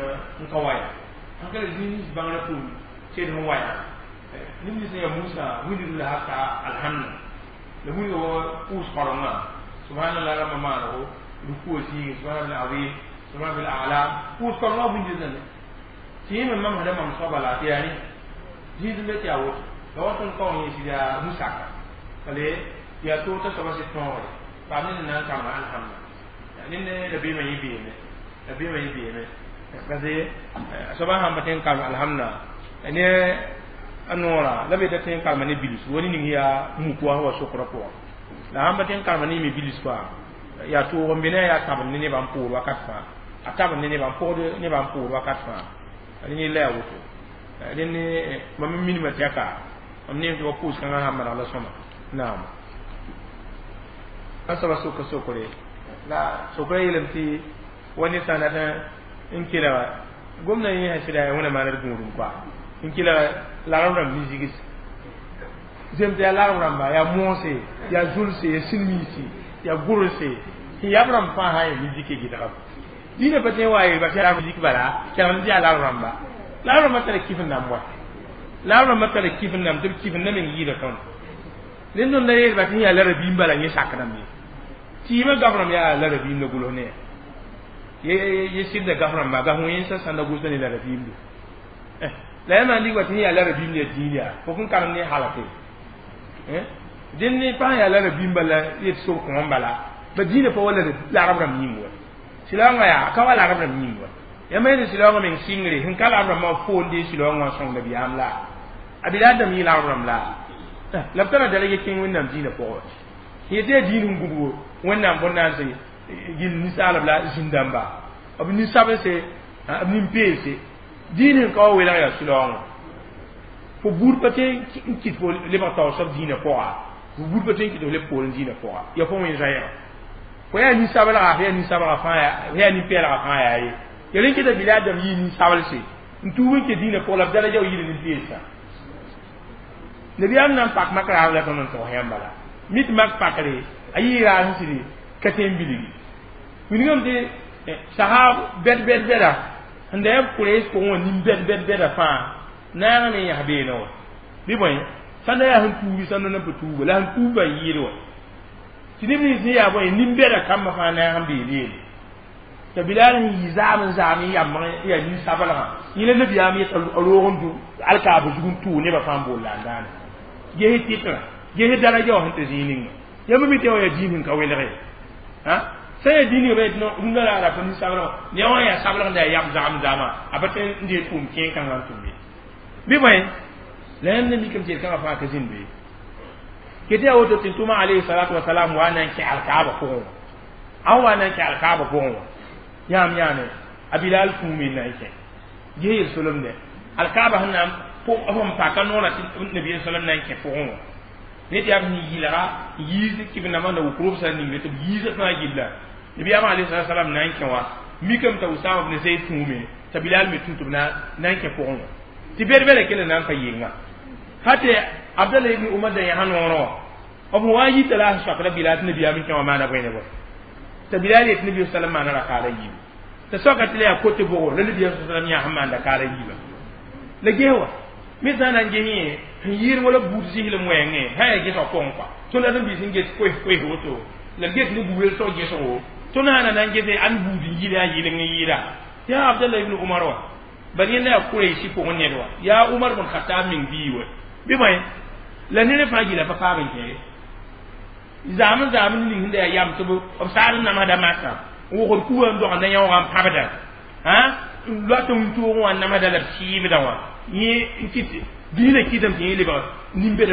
n ka wa yaa sãn ka la zĩig bãngrã tʋʋm teed sẽn wa yaa neb nins sẽn yaa Musa wilgd la haka alhamda la wilga wa pʋʋs kãrengã subhanallah rãmbã maanego rukuwa zĩige subhanallah azim subhanallah ala pʋʋs kãrengã wilgd tɩ yẽ me mamsda mam soaba la tɩ yaa rẽ zĩig n be tɩ yaa woto la woto n kao yẽ sɩd yaa musaka bale yaa toog t'a soaba sɩd tõogre paam ned n na n kãrema alhamda ned rabeemã yẽ beeme rabeemã yẽ beeme parce que soaba sãn pa tõe n karem alhamda ne a noorã la be ta tõe n karema ne bils wa ne ning yaa muk wa wa sokrã pʋgã la sãn pa tõe n karema ne yẽ me bils fãa yaa toog n be ne yaa tabend ne nebã n poor wakat fãa a tabend ne nebã n pʋgd nebã n poor wakat fãa rẽ yella yaa woto rẽnd mam n minimã tɩ yaa ka mam neem tɩ wa pʋʋs kãngã sãn maneg la sõma naam a soaba soka sokre la sokra yeelame tɩ wa ned sã n dat n kelga gomdã yẽ sã sɩda yaa wẽna maaned gũudum koa n kelga larb rãmb mi-zigis zem tɩ yaa larb rãmba yaa moose yaa zulse yaa silmiisi yaa gʋrse tɩ yab rãmb fãa sã n yaa mi-zike gɩdgame dĩinã pa tõe n wa yeel ba tɩ yaa zik bala kelgd tɩ yaa larb rãmba larb rãmbã tara kif n namb wa larb rãmbã tara kif n namb tɩ b kif n na meng yɩɩda tõnd ned tõnd la yeel ba tɩ yaa la rabiim bala yẽ sakdame tɩɩmã gaf rãmb yaa la rabiim la gʋls ne ye sɩdda gaf rãmba gaf wẽnsa sãnda gʋlsda ne la rabiimdo la yaa maan lig wa tɩ yaa la rabiim ya dĩin yaa fo kõn karem ne halake dẽnd ne pa yaa la rabiim bala yet sob kõom bala ba dĩinã pa wa la larb rãmb yĩng wa silaoongã yaa ka wa larb rãmb yĩng wa yãmb yetɩ silaoongã meng sɩngre sẽn ka larb rãmbã foonde silaoongã n sõng nabiyaam la a bilaadame yɩ larb rãmb la la b tara daraja kẽng wẽnnaam dĩinã pʋgẽ yetɩ yaa dĩin n gubgo wẽnnaam bõn-naanse gil ninsaalb la zĩn-dãmba b nin-sabse b nin-peelse dĩin sẽn ka wa welg yaa sʋlaoongã fo buud pa tõe n kɩt fo lebg taoor soab dĩinã pʋga fo buud pa tõe n kɩt fo leb poorẽ dĩinã pʋga yaa fo wẽn zoɛɛga fo yaa nin-sablga fo yaa nin-sablga fãa fo yaa nin-pɛɛlga fãa yaa ye ya rẽ kɩta bilaadame yɩ nin-sablse n tuub n kẽ dĩinã pʋgã la b daraja wa yɩɩd nin-peelsã nabiyaam na n pak mak raab la tõnd n togs yãmb bala mi tɩ mak pakre a yɩ raas n sɩd ka tõe n bilgi wilgame tɩ sahab bɛd bɛd bɛda sẽn da yaa b kʋrees pʋgẽ wã nin-bɛd bɛd bɛda fãa naag me yãs beene wã bɩ bõe sãnda yaa sẽn tuugi sãnda na pa tuuga la sẽn tuub ba yɩɩd wã tɩ neb nins sẽn yaa bõe nin-bɛda kambã fãa naag n beel yeele t'a bilaal sẽn yɩ zaam n zaam n yamg n yaa nin-sablgã yẽ la nabiyaam yeta roog n dũ alkaaba zug n tʋʋg nebã fãa n bool la n daana ges tɩtrã ges daraja wã sẽn tɩ zĩig ninga yãmb mi tɩ wa yaa dĩin sẽn ka welge sã yaa dĩin ba yetɩ rũndã la ra pa nin-sablgã ne wã yaa sablg n da yaa yam zagam zaamã a pa tõe n dee tʋʋm kẽen kãngã n tʋm ye bɩ bõe la yãmb na mikame tɩ yel-kãngã fãa ka zĩnd be ket yaa woto tɩ tʋma alayhi salatu wasalam wa na n kẽ alkaaba pʋgẽ wã a wa na n kẽ alkaaba pʋgẽ wã yãam yãane a bilal kũume n na n kẽ ges yel-solemdẽ Alkaaba sẽn na n p paka noorã tɩ nabiya salam na n kẽ pʋgẽ wã ne tɩ yaa b sẽn yɩlga yiis kɩb-nambã na wʋk robsã ningre tɩ b yiisã fãa gilla nabiyaamã alayhi salam na n kẽ wã mikame t'a Usama bn Zayd tũume t'a Bilal me tũ tɩ b na n kẽ pʋgẽ wã tɩ bed-bɛla kell na n pa yenga hate Abdallah ibn Umar da yã noorã wã b wa yita la a soakda Bilal tɩ nabiyaam kẽ wã maana bõe ne bõe t'a Bilal yet nabi sallam maana rakaada yiibu t'a soaka tɩ la yaa kote bʋgo la nabiyaam sallam yã sẽn maanda kaara yiiba la ges wa me sã na n ges yẽ sẽn yɩɩd wala buud zislem wɛɛngẽ sã yaa gesg pʋgẽ kɔa tõnd ad n biis n ges koes koes woto la b ges ne bu-welsg gesgo tõnd sã na na n gese ãn buud n yɩl yaa yɩleng n yɩɩda yaa Abdallah ibn Umar wa bal yẽnda yaa Kuraysi pʋgẽ ned wa yaa Umar bn Khatab meng bii wa bɩ bõe la ned fãa gila pa paab n kẽe zaam zaam ning sẽn da yaa yam tɩ b saad n namsda makã n wʋgd kuga n dog na yãoogã n pãbda n loat n toogẽ wã n namsda la b sɩɩbdã wã yẽ n kɩt dĩinã kɩtame tɩ yẽ lebg nin-bed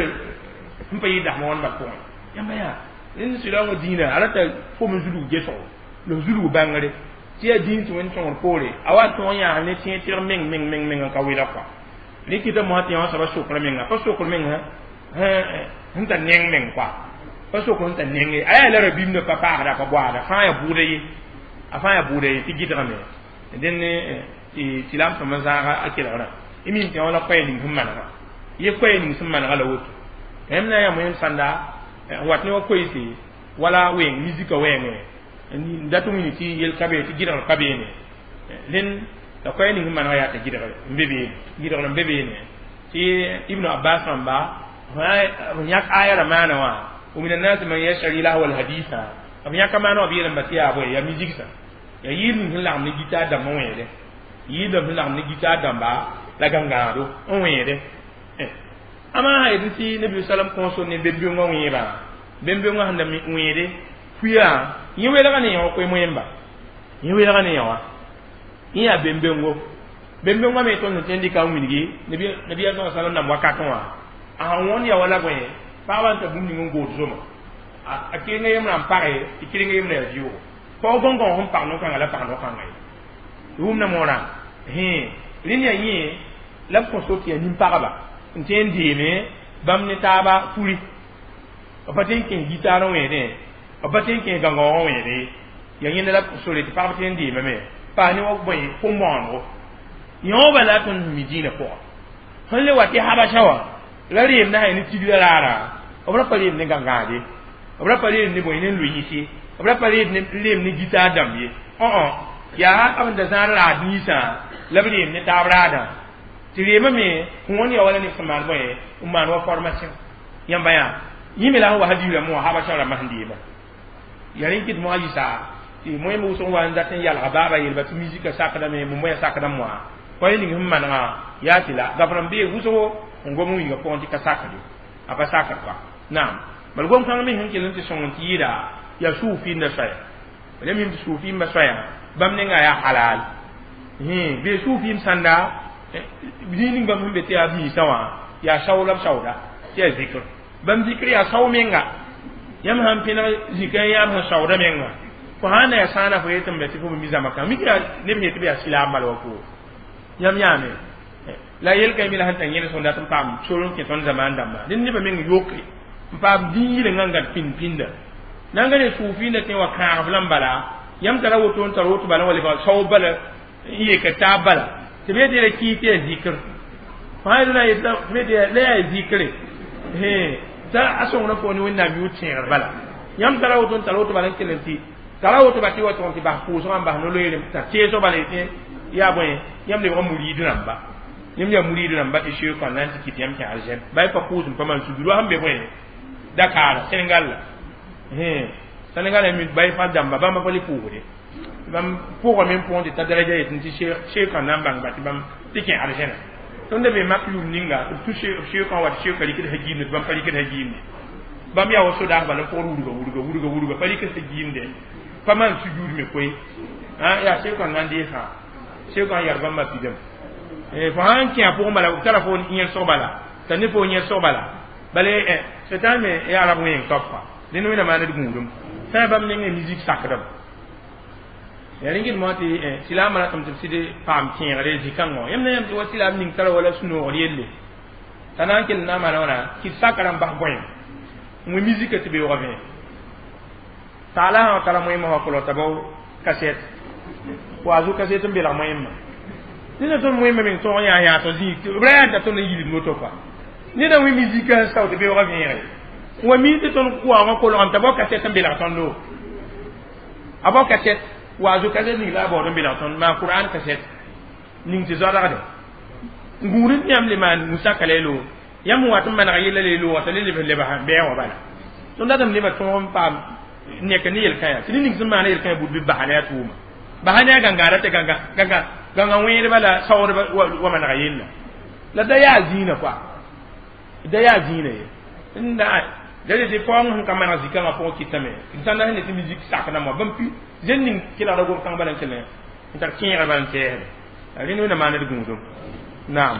sẽn pa yɩ dasma wãn bal pʋgẽ yãmba yaa rẽnd sɩda wã dĩinã a rata fom n zulg gesgo la zulg bãngre tɩ yaa dĩin tɩ wẽnd tõgr poore a wa tõog yãas ne tẽeg tɩrg meng meng meng meng n ka welg kɔa rẽ kɩta mosã tɩ yã soaba sokr menga pa sokr menga sẽn tar neng meng kɔa pa sokr sẽn tar neng ye a yaa la rabĩmdã pa paasda pa boaada fãa yaa bʋʋda ye a fãa yaa bʋʋda ye tɩ gɩdgame dẽnd tɩ la m tõm n zãaga a kelgrã y mim tɩ wã la koɛɛ ning sẽn manega ye koɛɛ ning sẽn manega la woto yãmb na n yaa moẽm sãnda n wat ne wa koeese wala wẽng mizika wɛɛngẽ n dat n wilg tɩ yel ka be tɩ gɩdgr ka beene rẽnd la koɛɛ ning sẽn manega yaa t'a gɩdgr n be beene gɩdgr n be beene tɩ Ibnu Abbas rãmba b yãk aya ra maana wã ومن الناس من يشتري لهو الحديث b yãka maana wã b yeelame tɩ yaa bõe yaa musique sã yaa yɩɩd ning sẽn lagem ne gitaar dãmb n wẽede yɩɩdame sẽn lagem ne gitaar dãmba la gãngãado n wẽede ama sã yetɩ tɩ nabi salam kõo ne bem-bengã wẽebã bem-bengã sẽn da wẽede puya yẽ welga ne yã koe moẽmba yẽ welga ne yã wã yẽ yaa bem-bengo bem-bengã me tõnd sẽn tõe n dɩka n wilgi nabiya sa salam nam wakatẽ wã a sãn wõnd ya wala bõe pagbã n ta bũmb ning n good zoma a kɩrenga yembrã n page tɩ kɩrenga yembrã yaa vɩʋʋgo paoog gõngõ sẽn pag no-kãnga la pag no-kãnga ye wʋmda moorã rẽnd yaa yẽ la b kõ so tɩ yaa nin-pagba n tõe n deeme bãmb ne taaba furi b pa tõe n kẽes gitaar n wẽedẽ b pa tõe n kẽes gãngaoog n wẽede yaa yẽnda la b kõ sore tɩ pagb tõe n deemame paas ne wa bõe kom-bõonego yõoba la tõnd mi dĩinã pʋga sẽn le wa tɩ habasa wã la reem na ne tigrã raara b ra pa reem ne gãngãade b ra pa reem ne bõe ne loyĩse b ra pa reem ne gitaar dãmb ye yaa b n da zãad raad ninsã la b reem ne taab raadã tɩ reemame wõnd ya wala neb sẽn maan bõe n maan wa formation yãmba yaa yẽ me la sẽn wa hadiis rãmb wã habasa rãmbã sẽn deema yaa rẽ kɩt moa yɩsa tɩ moẽm wʋsg wa n dat n yalga baaba yeelba tɩ misika sakdame moya sakdame wã koɛɛ ning sẽn manegã yaa tɩ la gaf rãmb bee wʋsgo n gom n wilga pʋgẽ tɩ ka sakde a pa sakd kɔa naam bal gom-kãng me sẽn kell n tɩ sõng n tɩ yɩɩda yaa suufiinda soaya b mim tɩ suufiimba soaya bãmb nenga yaa halal bee suufiim sãnda zĩig ning bãmb sẽn be tɩ yaa b miisã wã yaa sao la b saooda tɩ yaa zikr bãmb zikr yaa sao menga yãmb sãn pẽneg zikã yãab sẽn saooda menga fo sãn na yaa sãana fo yetɩ n be tɩ fo mi zãma kã mik yaa neb yetɩ b yaa silaam bala wa fo yãmb yãame la yel-kã mi la sẽn tar yẽnes sẽn dat n paam sor n kẽ tõnd zamaan dãmba dẽnd nebã meng yoke n paam dĩn yɩlengã n gãd pĩnd pĩnda na n ga ne suufiinda tẽ wa kãagb la n bala yãmb tara woto n tar woto bala n wa lebg saoob bala n yeka taab bala tɩ b yetɩ la kɩɩ tɩ yaa zikr fãa la la yaa zikre t'a a sõngrã fo ne wẽnnaam yʋʋr tẽegr bala yãmb tara woto n tar woto bala n kell n tɩ tara woto ba tɩ wa tʋg tɩ bas pʋʋsgã n bas no-loeere t'a teesg bala yetɩ yaa bõe yãmb lebg muriid rãmba yãmb yaa muriid rãmba tɩ sheekã na n tɩ kɩt yãmb kẽ arzɛn ba pa pʋʋsem pa maan sugr wa sẽn be bõe Dakar Sénégal la Sénégal mi bay fa dãmba bãmba pa le pʋʋsde bãmb pʋgame n pʋgẽ tɩ ta daraja yetɩ tɩ sheekã na n bãng ba tɩ bãmb tɩ kẽ arzɛnã tõnd da be mak yʋʋm ninga b tũ sheekã wa tɩ sheekã rɩkd sã giimde tɩ bãmb pa rɩkd sã giimde bãmb yaa wa sodaas bala n pʋgd wurga wurga wurga wurga pa rɩkd sã giimde pa maan sujuud me koe yaa sheekã na n deesã sheekã n yar bãmba pidame fo sãn kẽ a pʋgẽ bala b tara fo yẽlsg bala t'a ne fo yẽlsg bala bala sẽtãan me yaa rab wẽeng top kɔa dẽnd wẽnna maand d gũudum sã bãmb nengẽ musique sakdame Ya ringin mo tɩ silaamã ratame tɩ b sɩd paam kẽegre zĩ-kãngã yãmb na yãmb tɩ wa silaam ning tara wala sũ-noogr yelle t'a na n kell na n maana wãna kɩt sakã n bas bõe n wẽ mizika tɩ beoogã vẽ taala sã tara moẽmã wã kolg t'a bao kaset waazu kaset n belg moẽmã neda tõnd moẽmã meng tõog n yaa yãas zĩ b ra yaa t'a tõnd n yilid moto pa neda wẽ mizika n sao tɩ beoogã vẽege wa mi tɩ tõnd waoogã kolgame t'a bao kaset n belg tõndo a bao kaset waazu kaset ning la a baood n belg tõnd maa qur'an kaset ning tɩ zoadgde gũud n yãmb le maan musaka la y loog yãmb wat n maneg yella la y looga t'a le lebs lebs bɛɛ wã bala tõnd datame lebã tõog n paam neka ne yel-kãyã tɩ ne ning sẽn maana yel-kãyã bud bɩ basa ne a tʋʋma basa ne a gãngaara tɩ gãngã wẽedba la saoodba wa manega yella la da yaa zĩinã koa da yaa zĩinã ye n da tɩ paoong sẽn ka maneg zĩ-kãngã pʋgẽ kɩtame sãnda sẽn ne tɩ musique sakdãmbã bãmb pi zẽn ning kelgda gom-kãng bala n kell n tar kẽegr bala n tɛɛsde rẽnd wẽnna maand d gũudum naam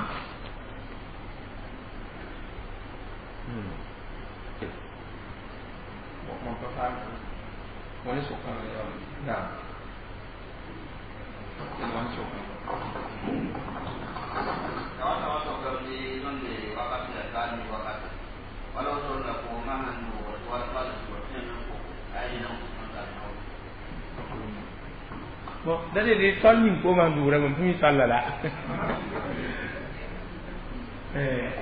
Bon, da de sol ning ko man dura mon mi salla la.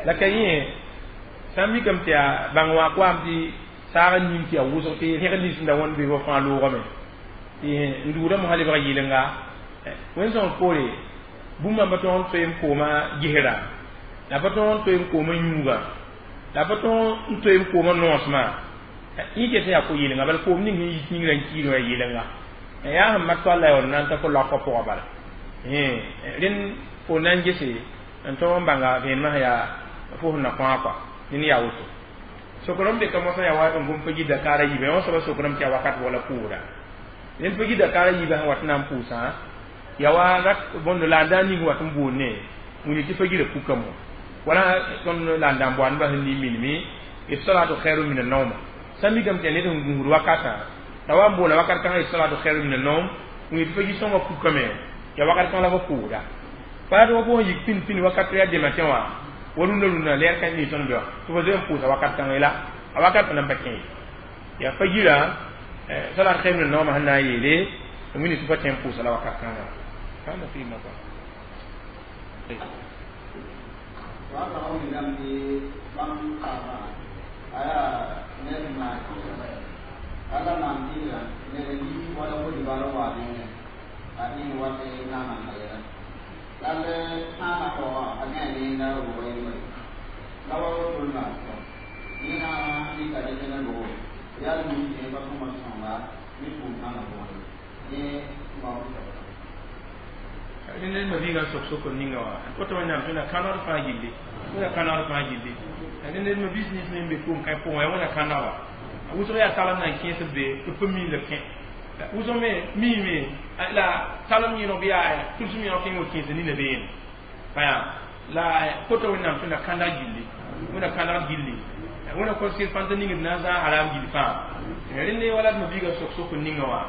La kaye sãn mikame tɩ yaa bãng wã koam tɩ saag n ning tɩ yaa wʋsg tɩ rẽgd nins sẽn da wãnd be wa fãa loogame tɩ n duudame sã lebg yɩlenga wẽn-sõng poore bũmb pa tõog n toe n kooma gesra la pa tõog n toe n kooma yũuga la pa tõog n toe n kooma noosmã yẽ ket yaa ko-yɩlenga bala koom ning sẽn yit yĩngrã n kiir wã yɩlenga yaa sẽn mak toal la ya na n ta fo laokã pʋgã bala rẽnd fo na n gese n tõog n bãnga vẽenemã sẽn yaa fo sẽn na kõa kɔa ned yaa woto sokr n be ka mosã yaa wa n gom pa gi dakaara yiibã wã soaba sokrame tɩ yaa wakat wala pʋʋda ned pa gi dakaara yiibã sẽn wat n na n pʋʋsã yaa wa rak bõnd la n da ning wat n boond ne wĩni tɩ fa gira pukame wala tõnd la n da n boandbã sẽn ning minime salatu khairu min an-nawm sã n mikame tɩ yaa ned sẽn gũusd wakatã la wa n boola wakat kãngã salatu khairu min an-nawm wĩni tɩ fa gi sõngã pukame yaa wakat kãng la fa pʋʋda pa tɩ wa fo sẽn yik pĩnd pĩnd wakat yaa dema tẽ wã wa rũndã rũndã lɛɛr kãn ning tõnd be wã tɩ fo zoe n pʋʋsa wakat kãngã la a wakat pa nan pa kẽ yaa fa gira salat khairu min an-nawm sẽn na n yeele wĩni tɩ fa tẽ n pʋʋsa la wakat kãngã kana fi ma ned ma biigã sok sokr ninga wã koto wẽnnaam tõe na kãnegd fãa gilli wẽna kãnegd fãa gilli ned ma biis nins me n be koom-kãe pʋgẽ yaa wẽna kãneg wa wʋsg yaa talem na n kẽes b be tɩ b pa mii la b kẽ wʋsg me miime la talem yẽnog bɩ yaa tʋlsem yẽnog kẽng wa kẽes nina beene baya la koto wẽnnaam tõe na kãneg gilli wẽna kãnegd gilli wẽna kõ sɩr fãn t'a ningd na n zãag haram gill fãa rẽnd wala d ma biigã sok sokr ninga wã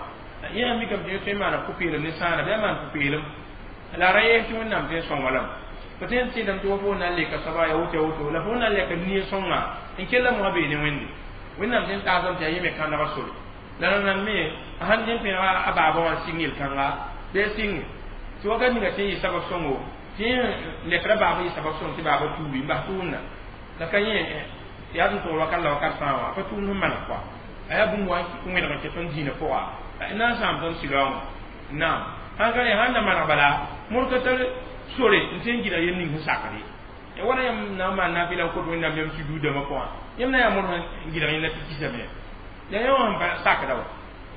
yẽ mikame tɩ tõe n maana pʋ-peelem ne sãana bɩ a maan pʋ-peelem la ra yɛs tɩ wẽnnaam tɩ n sõnga lame fo tõe n tẽedame tɩ wa fo na n leka soaba ya woto ya woto la fo na n leka nie sõnga n kella mosã bee ne wẽnde wẽnnaam tɩ n taasame tɩ yaa yẽ me kãnega sore la rãnnam me a sãn dẽ pẽnega a baaba wã n sɩng yel-kãnga bɩ a sɩnge tɩ wakat ninga tɩ n yɩ sabab sõngo tɩ yẽ lekra baaba yɩ sabab sõng tɩ baaba tuubi n bas tʋʋmda la ka yẽ yaa tɩ n tʋgl wakat la wakat fãa wã pa tʋʋmd sẽn maneg kɔa a yaa bũmb wã n wẽneg n kɛ tõnd dĩinã pʋga na n sãam tõnd sɩlaoongã naam sãn ka sãn na maneg bala mõr ka tar sore n tɩ n gɩdg yem ning sẽn sakd ye wala yãmb na n maan nafɩla n kot wẽnnaam yãmb sujuudãmã pʋgã yãmb na yaa mõr sẽn gɩdg yẽnda tɩ kisame la yã wã sẽn pa sakda wa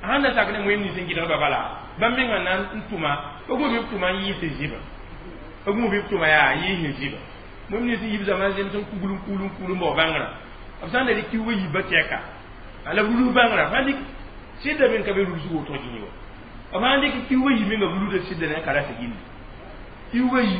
a sãn na sak ne wẽnd nins n gɩdgba bala bãmb mengã na n tʋma b gũ bɩ b tʋma n yɩɩs n zĩba b gũ bɩ b tʋma yaa yɩɩs n zĩba wẽnd nins n yib zãma n zems n kugl n kugl n kugl n bao bãngrã b sãn da dɩk kiuugã yiibã tɛka la b rulus bãngrã fãa dɩk sɩda me n ka be rulsg woto gĩi wa b sãn dɩk kiuugã yi menga b luda sɩda ne ka rasa gilli kiuugã yi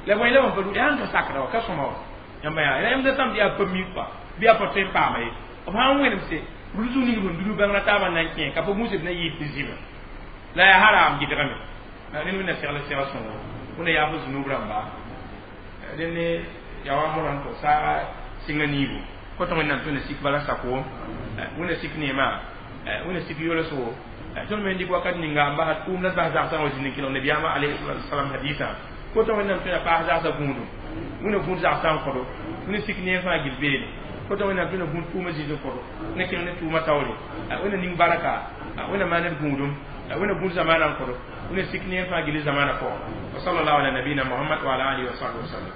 la bõe la bãmb pa yaa n ka sakda wa ka sõma wa yãmba yaa yãmb da sãm tɩ yaa pa mi kɔa bɩ yaa pa tõe n paama ye b sãn wẽnemse rulsg ning sẽn dulu bãngrã taabã na n kẽ ka pa gũsb na yɩɩs tɩ zĩba La yaa haram gɩdgame. Ned wẽnna segl segl sõngo, wẽnna yaaf zunub rãmba. Dẽnd ne yaa wa modã tɩ saaga sɩnga niibu kõt. Wẽnnaam tõe n sik bala sakoom, wẽnna sik neema, wẽnna sik yolsgo. Tõnd me n dɩk wakat ninga n bas tʋʋm la bas zagsã wa zĩnd n kelg nabiyaamã alayhi salam hadisã. Kõt Wẽnnaam tõe n paas zagsã gũudum, wẽnna gũud zagsã n kõdo, wẽnna sik neem fãa gil beene. Kõt Wẽnnaam tõe n gũud tʋʋmã zĩnd n kõdo, wẽnna kẽng ne tʋʋmã taoore, wẽnna ning barka, wẽnna maan d gũudum, wẽnna gũud zamaanã n kõdo, wẽnna sik neem fãa gil zamaanã pʋgẽ. Wa sallallahu ala nabiyina Muhammad wa ala alihi wa sahbihi wa sallam.